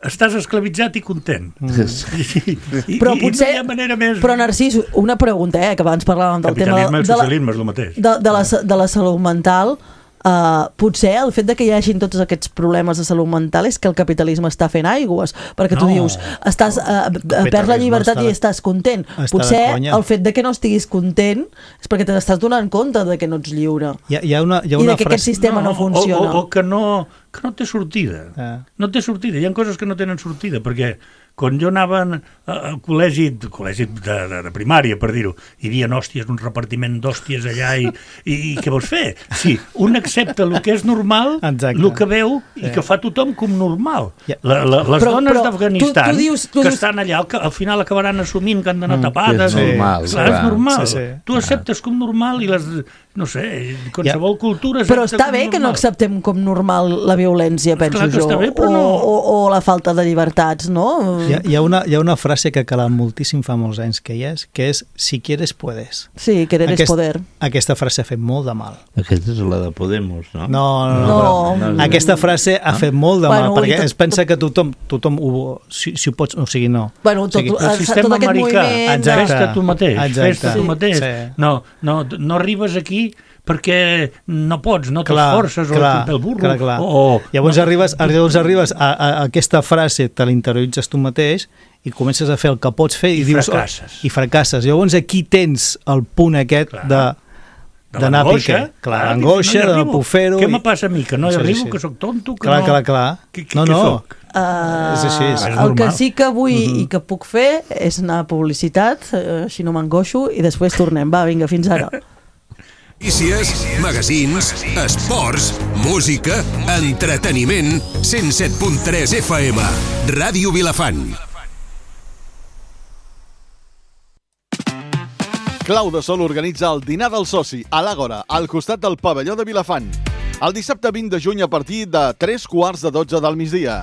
estàs esclavitzat i content. Mm. I, i, però i, potser, i no hi ha manera més... Però Narcís, una pregunta, eh, que abans parlàvem del tema... Capitalisme i socialisme és el mateix. De, de, la, de la salut mental, uh, potser el fet de que hi hagin tots aquests problemes de salut mental és que el capitalisme està fent aigües, perquè tu no, dius, estàs uh, perds la llibertat i estàs content. Potser el fet de que no estiguis content és perquè t'estàs donant compte de que no ets lliure. Hi ha, hi ha una, hi ha una I de que frase... aquest sistema no, no funciona. O, o, o que no... que no té sortida. Ah. No té sortida. Hi ha coses que no tenen sortida, perquè quan jo anava al col·legi, col·legi de, de, de primària, per dir-ho, hi havia hòsties, un repartiment d'hòsties allà, i, i, i què vols fer? Sí, un accepta el que és normal, el que veu i sí. que fa tothom com normal. Yeah. La, la, les però, dones d'Afganistan que dius... estan allà, al, al final acabaran assumint que han d'anar mm, tapades. És normal. Clar, és normal. Sí, sí. Tu acceptes com normal i les... no sé, qualsevol yeah. cultura... Però està bé que no acceptem com normal la violència, penso Clar que jo, bé, però o, no. o, o la falta de llibertats, no? Hi ha, hi ha, una, hi ha una frase que ha calat moltíssim fa molts anys que hi és, que és si quieres, puedes. Sí, querer Aquest, és poder. Aquesta frase ha fet molt de mal. Aquesta és la de Podemos, no? No, no, no. no, no, no. Aquesta frase ha no? fet molt de bueno, mal, perquè tot, es pensa que tothom, tothom ho, si, si ho pots, o sigui, no. Bueno, tot, o sigui, el sistema tot americà, moviment... fes-te tu mateix, fes-te tu sí, mateix. Sí. No, no, no arribes aquí perquè no pots, no t'esforces o et el burro. Clar, clar. O, llavors, no, arribes, llavors arribes a, a, a aquesta frase, te l'interioritzes tu mateix i comences a fer el que pots fer i, I dius... fracasses. I fracasses. Llavors aquí tens el punt aquest clar. de... d'anar a pique. Clar, l'angoixa, no de no puc fer-ho... Què me passa a mi? Que no hi sí, arribo, sí. que sóc tonto, que clar, no... Clar, clar, clar. No, no. Uh, és així. És el normal. que sí que vull Mm-hmm. i que puc fer és anar a publicitat, així no m'angoixo, i després tornem. Va, vinga, fins ara. Notícies, magazins, esports, música, entreteniment, cent set punt tres F M, Ràdio Vilafant. Clau de Sol organitza el dinar del soci a l'Àgora, al costat del pavelló de Vilafant. El dissabte vint de juny a partir de tres quarts de dotze del migdia.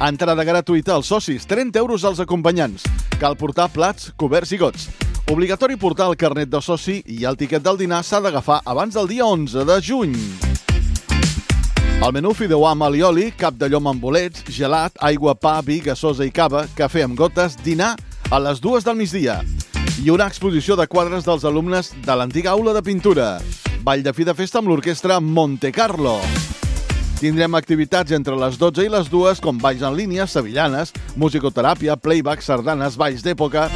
Entrada gratuïta als socis, trenta euros als acompanyants. Cal portar plats, coberts i gots. Obligatori portar el carnet de soci i el tiquet del dinar s'ha d'agafar abans del dia onze de juny. El menú fideuà amb alioli, cap de llom amb bolets, gelat, aigua, pa, vi, gasosa i cava, cafè amb gotes, dinar a les dues del migdia. I una exposició de quadres dels alumnes de l'antiga aula de pintura. Ball de fi de festa amb l'orquestra Monte Carlo. Tindrem activitats entre les dotze i les dues com balls en línia, sevillanes, musicoteràpia, playback, sardanes, balls d'època...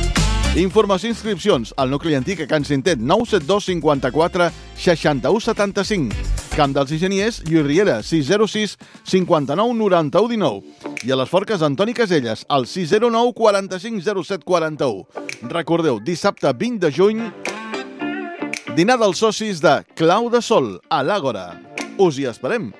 Informació i inscripcions al nucli antic a Can Cintet, nou set dos cinquanta-quatre seixanta-u setanta-cinc. Camp dels Enginyers, Lluís Riera, sis zero sis cinquanta-nou noranta-u dinou. I a les Forques, Antoni Caselles, al sis zero nou quaranta-cinc zero set quaranta-u. Recordeu, dissabte vint de juny, dinar dels socis de Clau de Sol, a l'Àgora. Us hi esperem.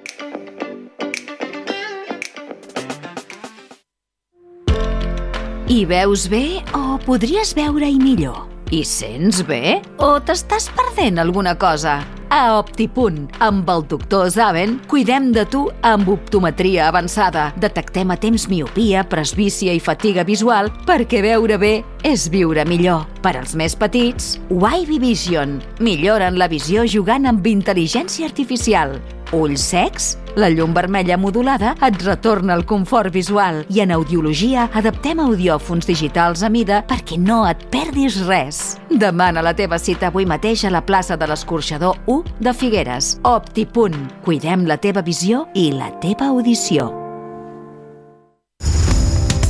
Hi veus bé o podries veure-hi millor? Hi sents bé o t'estàs perdent alguna cosa? A Optipunt, amb el doctor Zaven, cuidem de tu amb optometria avançada. Detectem a temps miopia, presbícia i fatiga visual perquè veure bé és viure millor. Per als més petits, Wavy Vision. Milloren la visió jugant amb intel·ligència artificial. Ulls secs? La llum vermella modulada et retorna el confort visual i en audiologia adaptem audiòfons digitals a mida perquè no et perdis res. Demana la teva cita avui mateix a la plaça de l'Escorxador u de Figueres. Optipunt. Cuidem la teva visió i la teva audició.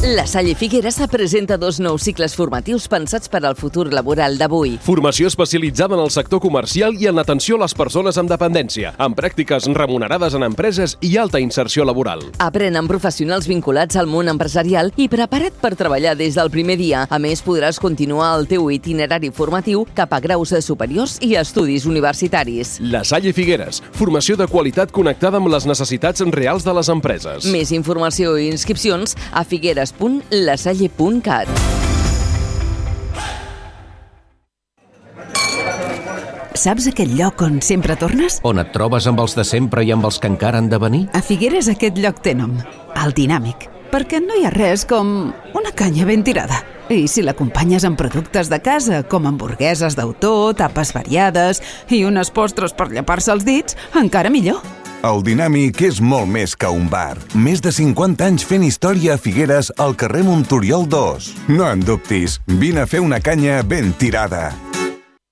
La Salle Figueres presenta dos nous cicles formatius pensats per al futur laboral d'avui. Formació especialitzada en el sector comercial i en l'atenció a les persones amb dependència, amb pràctiques remunerades en empreses i alta inserció laboral. Aprèn amb professionals vinculats al món empresarial i prepara't per treballar des del primer dia. A més, podràs continuar el teu itinerari formatiu cap a graus superiors i estudis universitaris. La Salle Figueres, formació de qualitat connectada amb les necessitats reals de les empreses. Més informació i inscripcions a figueres punt lasalle punt cat. Saps aquell lloc on sempre tornes? On et trobes amb els de sempre i amb els que encara han de venir? A Figueres aquest lloc té nom, el Dinàmic, perquè no hi ha res com una canya ben tirada. I si l'acompanyes amb productes de casa, com hamburgueses d'autor, tapes variades i unes postres per llepar-se els dits, encara millor. El Dinàmic és molt més que un bar. Més de cinquanta anys fent història a Figueres al carrer Montoriol dos. No en dubtis, vine a fer una canya ben tirada.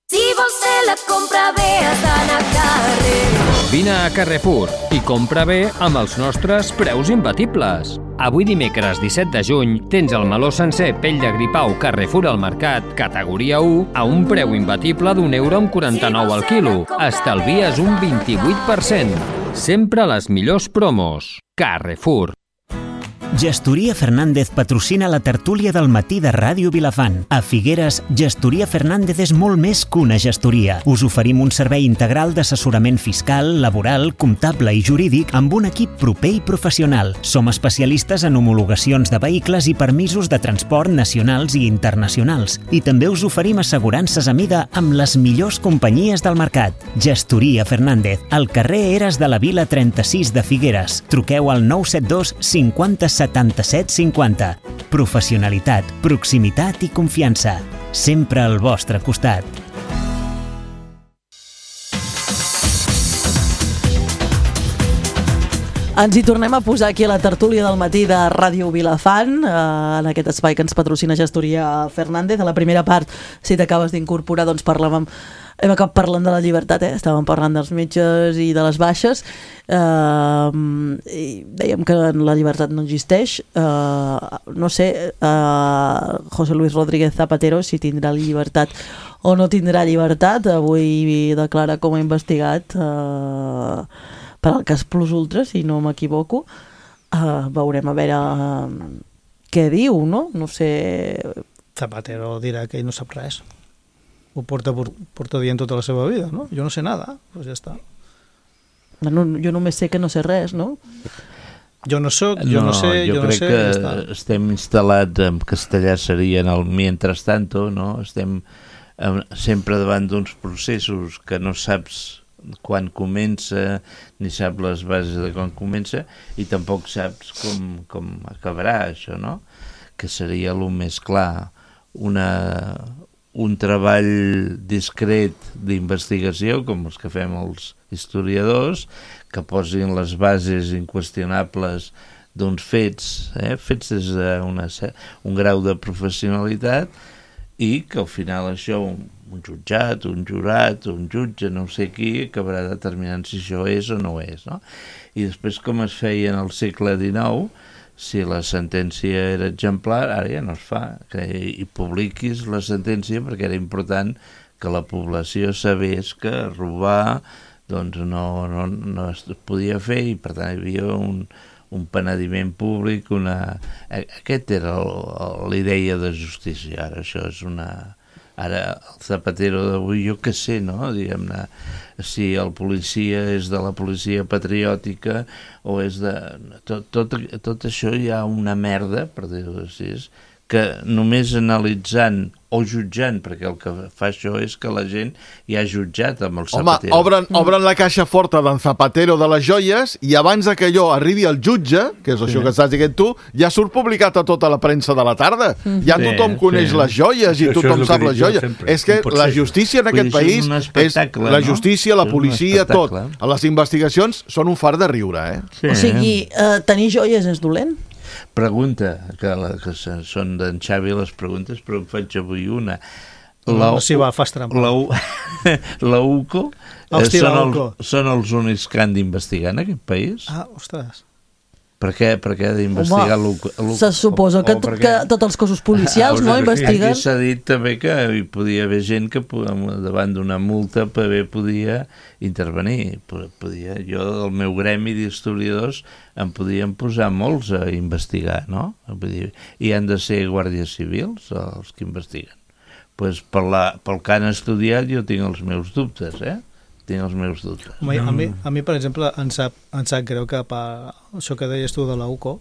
Si vols fer la compra bé, has d'anar a Carrefour. Vine a Carrefour i compra bé amb els nostres preus imbatibles. Avui dimecres disset de juny tens el meló sencer pell de gripau Carrefour al mercat, categoria u, a un preu imbatible d'un euro amb quaranta-nou al quilo. Estalvies un vint-i-vuit per cent. Sempre les millors promos. Carrefour. Gestoria Fernández patrocina la tertúlia del matí de Ràdio Vilafant. A Figueres, Gestoria Fernández és molt més que una gestoria. Us oferim un servei integral d'assessorament fiscal, laboral, comptable i jurídic amb un equip proper i professional. Som especialistes en homologacions de vehicles i permisos de transport nacionals i internacionals. I també us oferim assegurances a mida amb les millors companyies del mercat. Gestoria Fernández, al carrer Eres de la Vila trenta-sis de Figueres. Truqueu al nou set dos cinquanta setanta-set cinquanta. Professionalitat, proximitat i confiança. Sempre al vostre costat. Ens hi tornem a posar aquí a la tertúlia del matí de Ràdio Vilafant, eh, en aquest espai que ens patrocina Gestoria Fernández. A la primera part, si t'acabes d'incorporar, doncs parlàvem, hem acabat parlant de la llibertat, eh? Estàvem parlant dels metges i de les baixes, eh, i dèiem que la llibertat no existeix. Eh, no sé, eh, José Luis Rodríguez Zapatero, si tindrà llibertat o no tindrà llibertat. Avui declara com a investigat eh, per al cas Plus Ultra, si no m'equivoco. Uh, veurem a veure uh, què diu, no? No sé... Zapatero dirà que ell no sap res. Ho porta, porta dient tota la seva vida, no? Jo no sé nada, doncs ja està. No, jo només sé que no sé res, no? Jo no soc, jo no, no sé, jo, jo no sé... Jo crec que ja estem instal·lats, en castellà seria en el mientras tanto, no? Estem eh, sempre davant d'uns processos que no saps quan comença, ni sap les bases de quan comença, i tampoc saps com, com acabarà això, no? Que seria el més clar, una, un treball discret d'investigació, com els que fem els historiadors, que posin les bases inqüestionables d'uns fets, eh? fets des d'un un grau de professionalitat, i que al final això... un jutjat, un jurat, un jutge, no sé qui, acabarà determinant si això és o no és, no? I després, com es feia en el segle dinou, si la sentència era exemplar, ara ja no es fa, que hi publiquis la sentència perquè era important que la població sabés que robar doncs no, no, no es podia fer, i per tant hi havia un, un penediment públic, una... Aquest era l'idea de justícia. Ara això és una... Ara, el Zapatero d'avui, jo què sé, no? Diguem-ne, si el policia és de la policia patriòtica o és de... Tot, tot, tot això hi ha una merda, per dir-ho així, que només analitzant o jutjant, perquè el que fa això és que la gent ja ha jutjat amb el Zapatero. Home, obren, obren la caixa forta d'en Zapatero de les joies i abans que allò arribi al jutge, que és això sí. que estàs dient tu, ja surt publicat a tota la premsa de la tarda. Ja sí, tothom coneix sí. les joies i tothom sap les joies. Sempre. És que la justícia en aquest país, és la justícia, no? la policia, tot. Les investigacions són un far de riure, eh? Sí. O sigui, eh, tenir joies és dolent? Pregunta, que, la, que són d'en Xavi les preguntes, però em faig avui una. La, no, sí, va, fas trampa. La, la U C O, Hosti, són, la el, són els únics que han d'investigar en aquest país? Ah, ostres. Per què, per què ha d'investigar... Home, se suposa que, que tots els cossos policials no investiguen. Aquí s'ha dit també que hi podia haver gent que davant d'una multa també podia intervenir. Podia, jo, del meu gremi d'historiadors, em podien posar molts a investigar, no? Vull dir, i han de ser guàrdies civils els que investiguen. Pues per la, pel que han estudiat jo tinc els meus dubtes, eh? tinc els meus dubtes. Home, a, mi, a mi, per exemple, em sap, em sap greu que per això que deies tu de la U C O,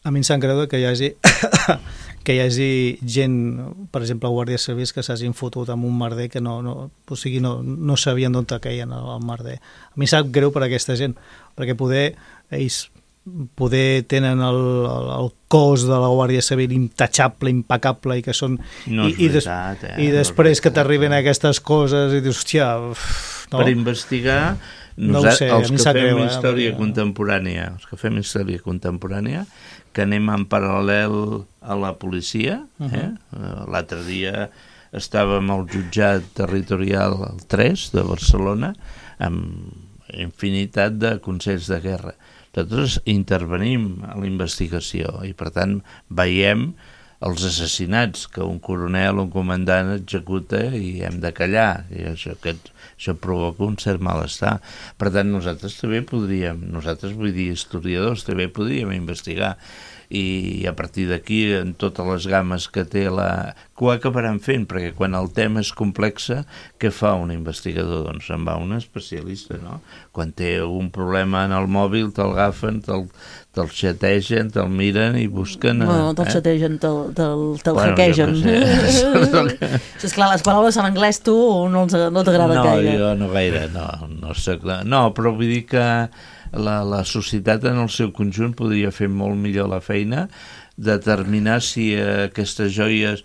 a mi em sap greu que hi hagi que hi hagi gent, per exemple, guàrdies civils que s'hagin fotut amb un merder que no, no, o sigui, no, no sabien d'on queien el merder. A mi em sap greu per aquesta gent, perquè poder ells poder tenen el, el, el cos de la Guàrdia Civil intachable, impecable i que són no i, i, des, veritat, eh? i després que t'arriben aquestes coses i dius, hòstia, no? Per investigar no ho sé, els que fem greu, història eh? contemporània els que fem història contemporània que anem en paral·lel a la policia, eh? Uh-huh. L'altre dia estàvem al jutjat territorial el tres de Barcelona amb infinitat de consells de guerra. Nosaltres intervenim a la investigació i, per tant, veiem els assassinats que un coronel o un comandant executa i hem de callar. I això, aquest, això provoca un cert malestar. Per tant, nosaltres també podríem, nosaltres vull dir historiadors, també podríem investigar. I a partir d'aquí, en totes les games que té la... que ho acabaran fent, perquè quan el tema és complex, què fa un investigador? Doncs se'n va un especialista, no? Quan té algun problema en el mòbil, te'l agafen, te'l, te'l xategen, te'l miren i busquen... No, no te'l eh? xategen, te'l, te'l, te'l bueno, hackegen. És clar, les paraules en anglès tu no, no t'agrada no, gaire. No, jo no gaire, no. No, soc, no, però vull dir que la, la societat en el seu conjunt podria fer molt millor la feina, determinar si eh, aquestes joies...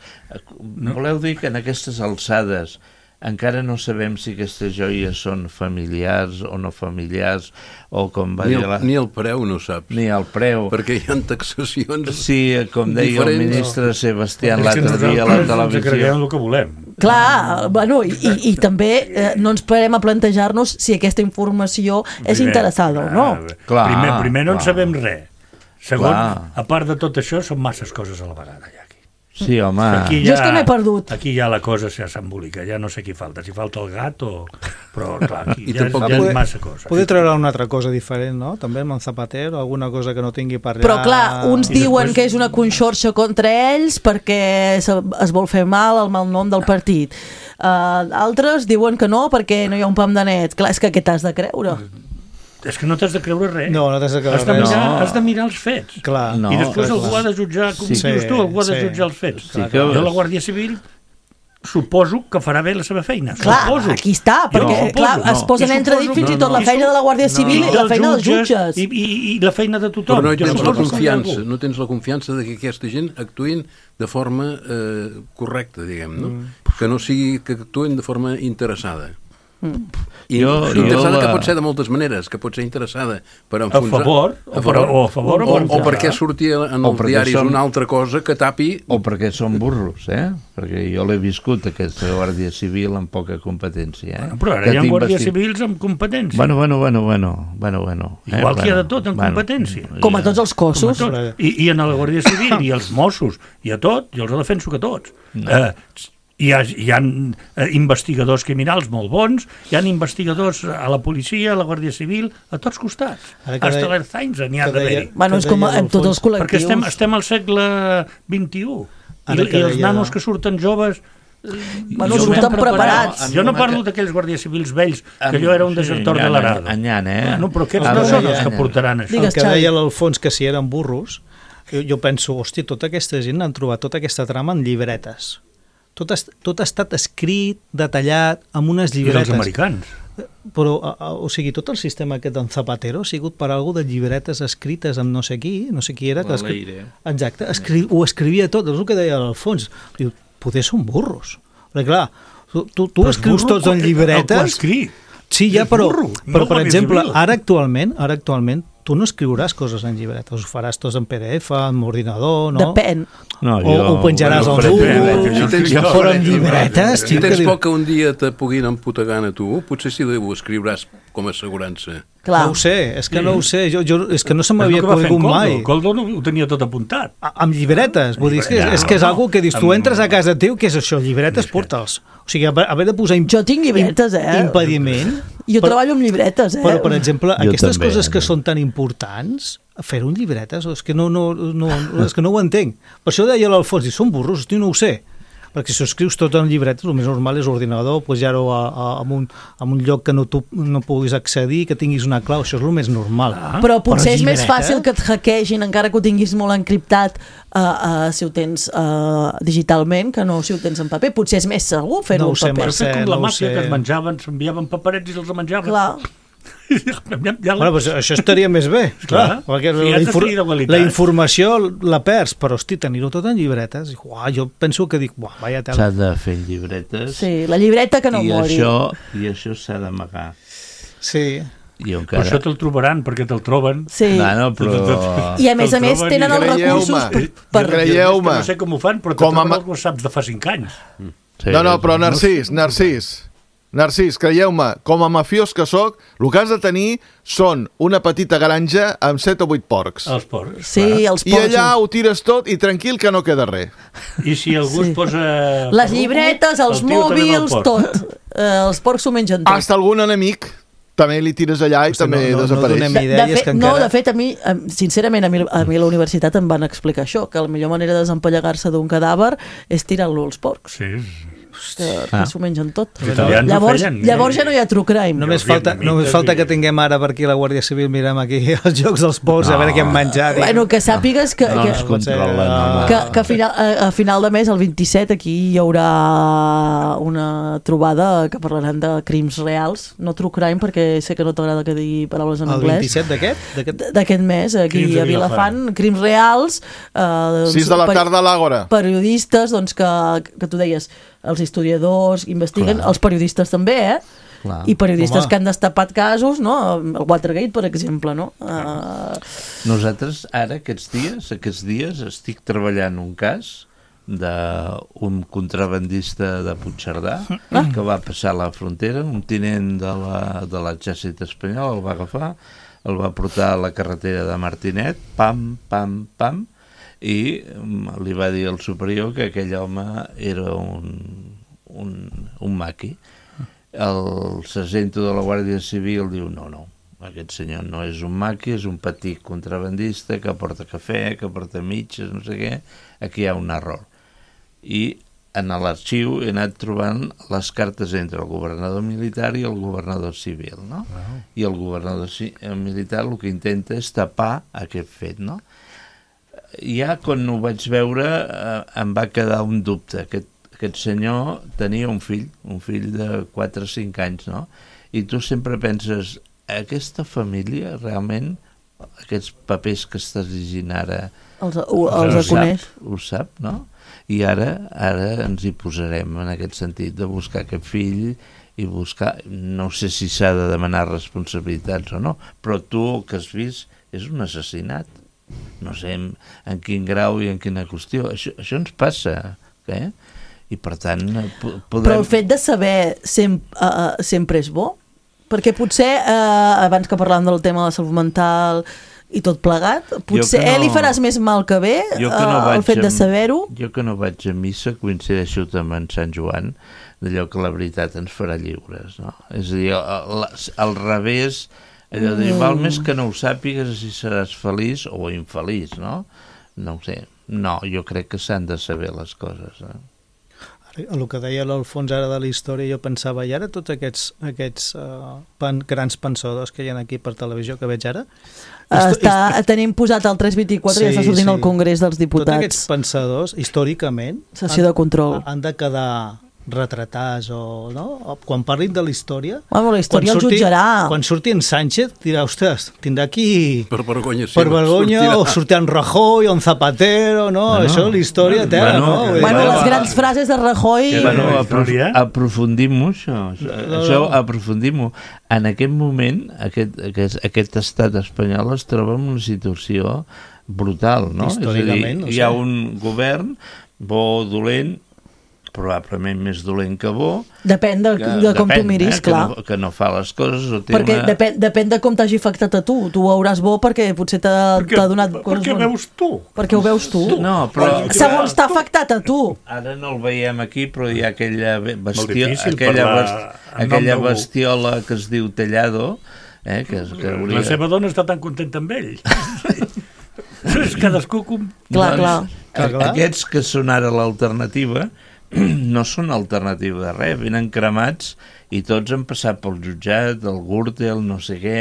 No. Voleu dir que en aquestes alçades encara no sabem si aquestes joies són familiars o no familiars, o com va ni dir... El, la... Ni el preu no saps. Ni el preu. Perquè hi ha taxacions sí, com deia diferents. El ministre no. Sebastián l'altre dia a la televisió. Ens creiem el que volem. Clar, bueno, i, i, i també eh, no ens parem a plantejar-nos si aquesta informació és primer, interessada o no. Clar, primer, primer no clar. En sabem res. Segon, clar. A part de tot això, són masses coses a la vegada, ja. Sí, home. Aquí ja, jo és que m'he perdut. Aquí ja la cosa s'embolica, ja no sé qui falta, si falta el gat o... Però, clar, aquí I ja, és, ja és massa cosa. Poder treure una altra cosa diferent, no? També amb el Zapatero, alguna cosa que no tingui per allà... Però, clar, uns I diuen després... que és una conxorxa contra ells perquè es vol fer mal el mal nom del partit. Uh, altres diuen que no perquè no hi ha un pam de net. Clar, és que què t'has de creure? És que no t'has de creure res. No, no t'has de creure has de res. Mirar, no. Has de mirar els fets. Clar, no, I després clar, algú clar. ha de jutjar, com sí, dius tu, algú ha de sí, jutjar els fets. Sí, que... Jo la Guàrdia Civil suposo que farà bé la seva feina. Clar, suposo. Aquí està, perquè no, clar, no. es posen entre dit fins no, i tot no, la feina de la Guàrdia Civil no, i la feina dels jutges. I, i, i la feina de tothom. Però no jo tens la confiança, no, no tens la confiança de que aquesta gent actuïn de forma eh, correcta, diguem, no? Mm. Que no sigui que actuïn de forma interessada. Mm. I jo, interessada jo, que pot ser de moltes maneres, que pot ser interessada per enfonsar... A favor, a favor, o a favor o, o, o perquè sortia en els diaris som, una altra cosa que tapi... O perquè són burros, eh? Perquè jo l'he viscut, aquesta Guàrdia Civil, amb poca competència, eh? Bueno, però ara que hi ha guàrdies investi... civils amb competència. Bueno, bueno, bueno, bueno, bueno, bueno. Eh? Igual que hi ha de tot, en bueno, competència. Com a tots els cossos. Tot. I, I en la Guàrdia Civil, i els Mossos, i a tot, jo els defenso que tots. No. Eh, Hi ha, hi ha investigadors criminals molt bons, hi ha investigadors a la policia, a la Guàrdia Civil, a tots costats. Hasta l'Erzainza n'hi ha d'haver-hi. Bueno, és com en tots els col·lectius. Perquè estem, estem al segle vint-i-u i, i els nanos que surten joves... Bueno, surten preparats. Jo no parlo d'aquells guàrdies civils vells, que allò era un desertor de l'Arado. Anyant, eh? No, però aquests no són els que portaran això. El que deia l'Alfons, que si eren burros, jo penso, hòstia, tota aquesta gent han trobat tota aquesta trama en llibretes. Tot, est, tot ha estat escrit, detallat, amb unes llibretes. I els americans. Però, o sigui, tot el sistema aquest d'en Zapatero ha sigut per algú de llibretes escrites amb no sé qui, no sé qui era. Que escri... Exacte, escri... ho escrivia tot, és el que deia l'Alfons. Diu, poder són burros. Perquè, clar, tu, tu, tu escrius tots en llibretes... Sí, ja, però, però per exemple, ara actualment, ara actualment, tu no escriuràs coses en llibretes, ho faràs tots en P D F, en ordinador, no? Depèn. No, jo, o ho penjaràs al Google, però en llibretes... Si tens por que un dia te puguin emputegar a tu, potser sí ho escriuràs com a assegurança. Clar. No ho sé, és que no ho sé, jo, jo, és que no se És m'havia el que va fer en conegut mai. Coldo. Coldo no, ho tenia tot apuntat. A, amb llibretes, vull dir, és que, Ja, és que és no, algo que dius, tu amb- entres a casa teu, què és això? Llibretes, porta'ls. O sigui, haver de posar... Imp... Jo tinc llibretes, eh? Impediment. Jo però, treballo amb llibretes, eh? Però, per exemple, Jo aquestes també, coses que eh? són tan importants, fer-ho en llibretes, és que no, no, no, és que no ho entenc. Per això deia l'Alfons, són burros, hosti, no ho sé. Perquè si ho escrius tot en llibretes, el més normal és ordinador, pujar-ho a, a, a, un, a un lloc que no, tu, no puguis accedir, que tinguis una clau, això és el més normal. Ah. Però potser Però és més llibretes? fàcil que et hackegin, encara que ho tinguis molt encriptat, uh, uh, si ho tens uh, digitalment, que no si ho tens en paper. Potser és més segur fer-ho No ho en sé, paper. Però fer com la no ho màfia, sé. que es menjaven, s'enviaven paperets i els menjaven. Clar. Ja, ja, Bueno, doncs això estaria més bé, clar, Clar. perquè Si la, has de infor tenir igualitat. la informació la perds, però hosti, tenir-ho tot en llibretes, i, uah, jo penso que dic, uah, vaya tela. S'ha de fer en llibretes. Sí, la llibreta que no i mori. Això, I això s'ha d'amagar. Sí. I Però encara... això te'l trobaran, perquè te'l troben. Sí. Bueno, però... I a més a més tenen els recursos per... per... Creieu-me. No sé com ho fan, però Com a com ma- ho saps de fa cinc anys. Sí, No, no, però Narcís, Narcís, Narcís, creieu-me, com a mafiós que sóc, el que has de tenir són una petita granja amb set o vuit porcs. Els porcs. Sí, els I porcs. allà ho tires tot i tranquil que no queda res. I si algú Sí. es posa... Les perruco, llibretes, els el tio també amb el mòbils, porc. tot. Eh, els porcs s'ho mengen tot. Hasta algun enemic també li tires allà i Hosti, també no- no- no desapareix. donem De, de idees fet, que no, encara- de fet, a mi, em- sincerament, a mi, a mi a la universitat em van explicar això, que la millor manera de desempallegar-se d'un cadàver és tirant-lo als porcs. Sí. Que, que Ah. s'ho mengen tot. Els italians ho Llavors, feien. llavors ja no hi ha true crime. Només Jo, falta, vietnamites només falta i- que tinguem ara per aquí la Guàrdia Civil, mirem aquí els jocs dels porcs, a veure què hem menjat. i- Bueno, que sàpigues que, No que, ens controlen, no. que, que a, final, a, a final de mes, el vint-i-set, aquí hi haurà una trobada que parlaran de crims reals, no true crime, perquè sé que no t'agrada que digui paraules en El anglès. vint-i-set d'aquest? D'aquest- D'aquest mes, aquí Crims de a Vilafant, crims reals. Eh, doncs, sis de la per- tarda a l'Àgora. Periodistes, doncs, que, que tu deies, els historiadors investiguen, Clar. els periodistes també, eh? Clar. I periodistes Home. que han destapat casos, no? El Watergate, per exemple, no? Uh, Nosaltres ara, aquests dies, aquests dies, estic treballant un cas d'un contrabandista de Puigcerdà Ah. que va passar la frontera, un tinent de la- de l'exèrcit espanyol el va agafar, el va portar a la carretera de Martinet, pam, pam, pam, i mm, li va dir al superior que aquell home era un, un, un maqui. El sergento de la Guàrdia Civil diu no, no, aquest senyor no és un maqui, és un petit contrabandista que porta cafè, que porta mitges, no sé què, aquí hi ha un error. I en l'arxiu he anat trobant les cartes entre el governador militar i el governador civil, no? Wow. I el governador ci- militar el que intenta és tapar aquest fet, no? Ja quan ho vaig veure eh, em va quedar un dubte. Aquest, aquest senyor tenia un fill, un fill de quatre o cinc anys, no? I tu sempre penses, aquesta família realment, aquests papers que estàs llegint ara, els, ho, ho els sap, coneix. ho sap, no? I ara ara ens hi posarem en aquest sentit de buscar aquest fill i buscar, no sé si s'ha de demanar responsabilitats o no, però tu el que has vist és un assassinat. No sé en, en quin grau i en quina qüestió. Això, això ens passa, eh? I per tant po- podem... Però el fet de saber sem uh, sempre és bo, perquè potser, uh, abans que parlàvem del tema de la salut mental i tot plegat, potser no- no, li faràs més mal que bé, Jo que no uh, vaig el fet de amb- saber-ho. Jo que no vaig a missa coincideixo també en Sant Joan, d'allò que la veritat ens farà lliures, no? És a dir, al, al revés, allò de dir, val més que no ho sàpigues si seràs feliç o infeliç, no? No ho sé. No, jo crec que s'han de saber les coses, eh? El que deia l'Alfons ara de la història, jo pensava, i ara tots aquests, aquests uh, pan, grans pensadors que hi ha aquí per televisió, que veig ara... Està, tenim posat el tres vint-i-quatre sí, i està sortint sí. al Congrés dels Diputats. Tots aquests pensadors, històricament, Sessió de control. Han, han de quedar retratats o no? Quan parlin de la història, bueno, la història quan el surti, jutjarà. Quan surti en Sánchez dirà, ostres, tindrà aquí per vergonya, per vergonya o sortir en Rajoy o en Zapatero, no? Bueno, Això la història tela, bueno, no? que- Bueno, bueno, les grans frases de Rajoy... Bueno, aprof aprofundim-ho, això. Això aprofundim-ho. En aquest moment, aquest, aquest, aquest estat espanyol es troba en una situació brutal, no? És a dir, hi ha un govern bo o dolent, probablement més dolent que bo. Depèn de, que, de com depèn, tu miris, eh, clar. Que no, que no fa les coses o té Perquè una... depèn, depèn de com t'hagi afectat a tu. Tu ho veuràs bo perquè potser t'ha donat coses Perquè ho veus tu. Perquè ho veus tu. No, però... Segons t'ha afectat a tu. Ara no el veiem aquí, però hi ha aquella, bestio... difícil aquella, parlar best... en nom aquella d'algú. bestiola que es diu Tellado, eh, que, és, que hauria... La seva dona està tan contenta amb ell. És cadascú... Com... Clar, clar. A- Aquests que són ara l'alternativa no són alternativa de res, venen cremats i tots han passat pel jutjat, el Gürtel, no sé què,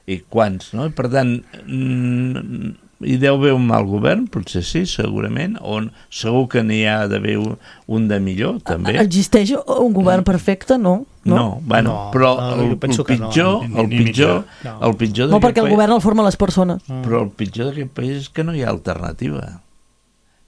i quants, no? Per tant, mm, hi deu haver un mal govern, potser sí, segurament, on segur que n'hi ha d'haver un, un de millor, també. Existeix un govern perfecte, no? No, no bueno, No, però no, el, jo el penso que no. pitjor, Ni- el ni pitjor, mitjà. el pitjor No, d'aquest perquè el país, govern el formen les persones. però el pitjor d'aquest país és que no hi ha alternativa.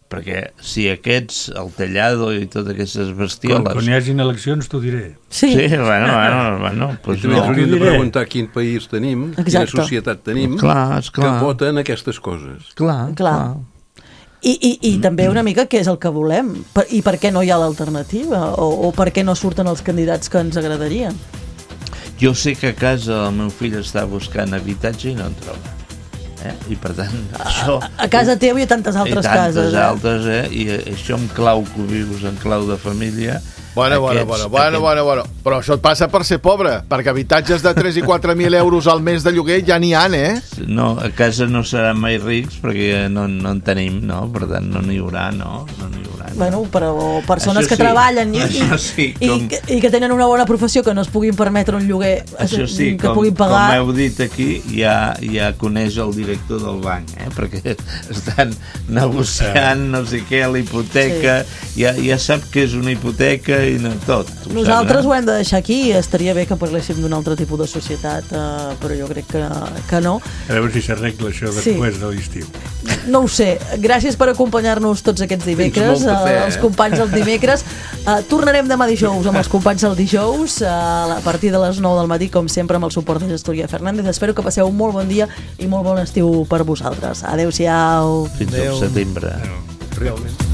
Perquè si aquests, el Tellado i totes aquestes Quan, bestioles... quan hi hagin eleccions t'ho diré. Sí. Sí, bueno, bueno, bueno I pues també no. ens hauríem de diré. preguntar quin país tenim, quina Exacte. societat tenim, Clar, esclar. que voten aquestes coses. Clar, Clar. I, i, i també una mica què és el que volem per, i per què no hi ha l'alternativa o, o per què no surten els candidats que ens agradarien. Jo sé que a casa el meu fill està buscant habitatge i no en troba. Eh? I per tant, això... A casa teva i a tantes altres I tantes cases. Eh? altres, eh? I això en clau que ho vius, en clau de família... Bueno, bueno, bueno, bueno, bueno, bueno. Però això et passa per ser pobre, perquè habitatges de tres i quatre mil euros al mes de lloguer ja n'hi ha, eh? No, a casa no seran mai rics perquè no, no en tenim, no? Per tant, no n'hi haurà, no? No n'hi haurà. Bueno, però persones Això que sí, treballen i, i, això sí, i, com- que, i que tenen una bona professió que no es puguin permetre un lloguer Això sí, que com, puguin pagar. com heu dit aquí, ja, ja coneix el director del banc, eh? Perquè estan negociant no sé què, la hipoteca, sí. ja, ja sap què és una hipoteca i no, tot. Ho Nosaltres sap, ho hem de deixar aquí. Estaria bé que parléssim d'un altre tipus de societat, eh, però jo crec que, que no. A veure si s'arregla això Sí. després de l'estiu. No ho sé. Gràcies per acompanyar-nos tots aquests dimecres, Fins molt cafè, eh, els eh? companys del dimecres. Eh, tornarem demà dijous amb els companys del dijous, eh, a partir de les nou del matí, com sempre, amb el suport de Gestoria Fernández. Espero que passeu un molt bon dia i molt bon estiu per vosaltres. Adéu-siau. Fins Adéu. al setembre. Realment.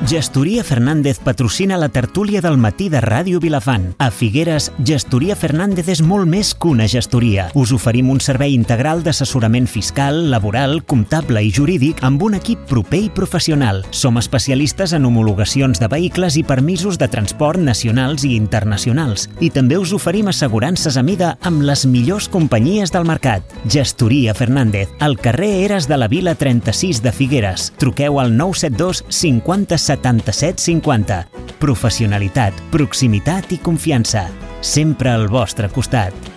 Gestoria Fernández patrocina la tertúlia del matí de Ràdio Vilafant. A Figueres, Gestoria Fernández és molt més que una gestoria. Us oferim un servei integral d'assessorament fiscal, laboral, comptable i jurídic amb un equip proper i professional. Som especialistes en homologacions de vehicles i permisos de transport nacionals i internacionals. I també us oferim assegurances a mida amb les millors companyies del mercat. Gestoria Fernández, al carrer Eres de la Vila trenta-sis de Figueres. Truqueu al nou set dos cinquanta setanta-set cinquanta. Professionalitat, proximitat i confiança. Sempre al vostre costat.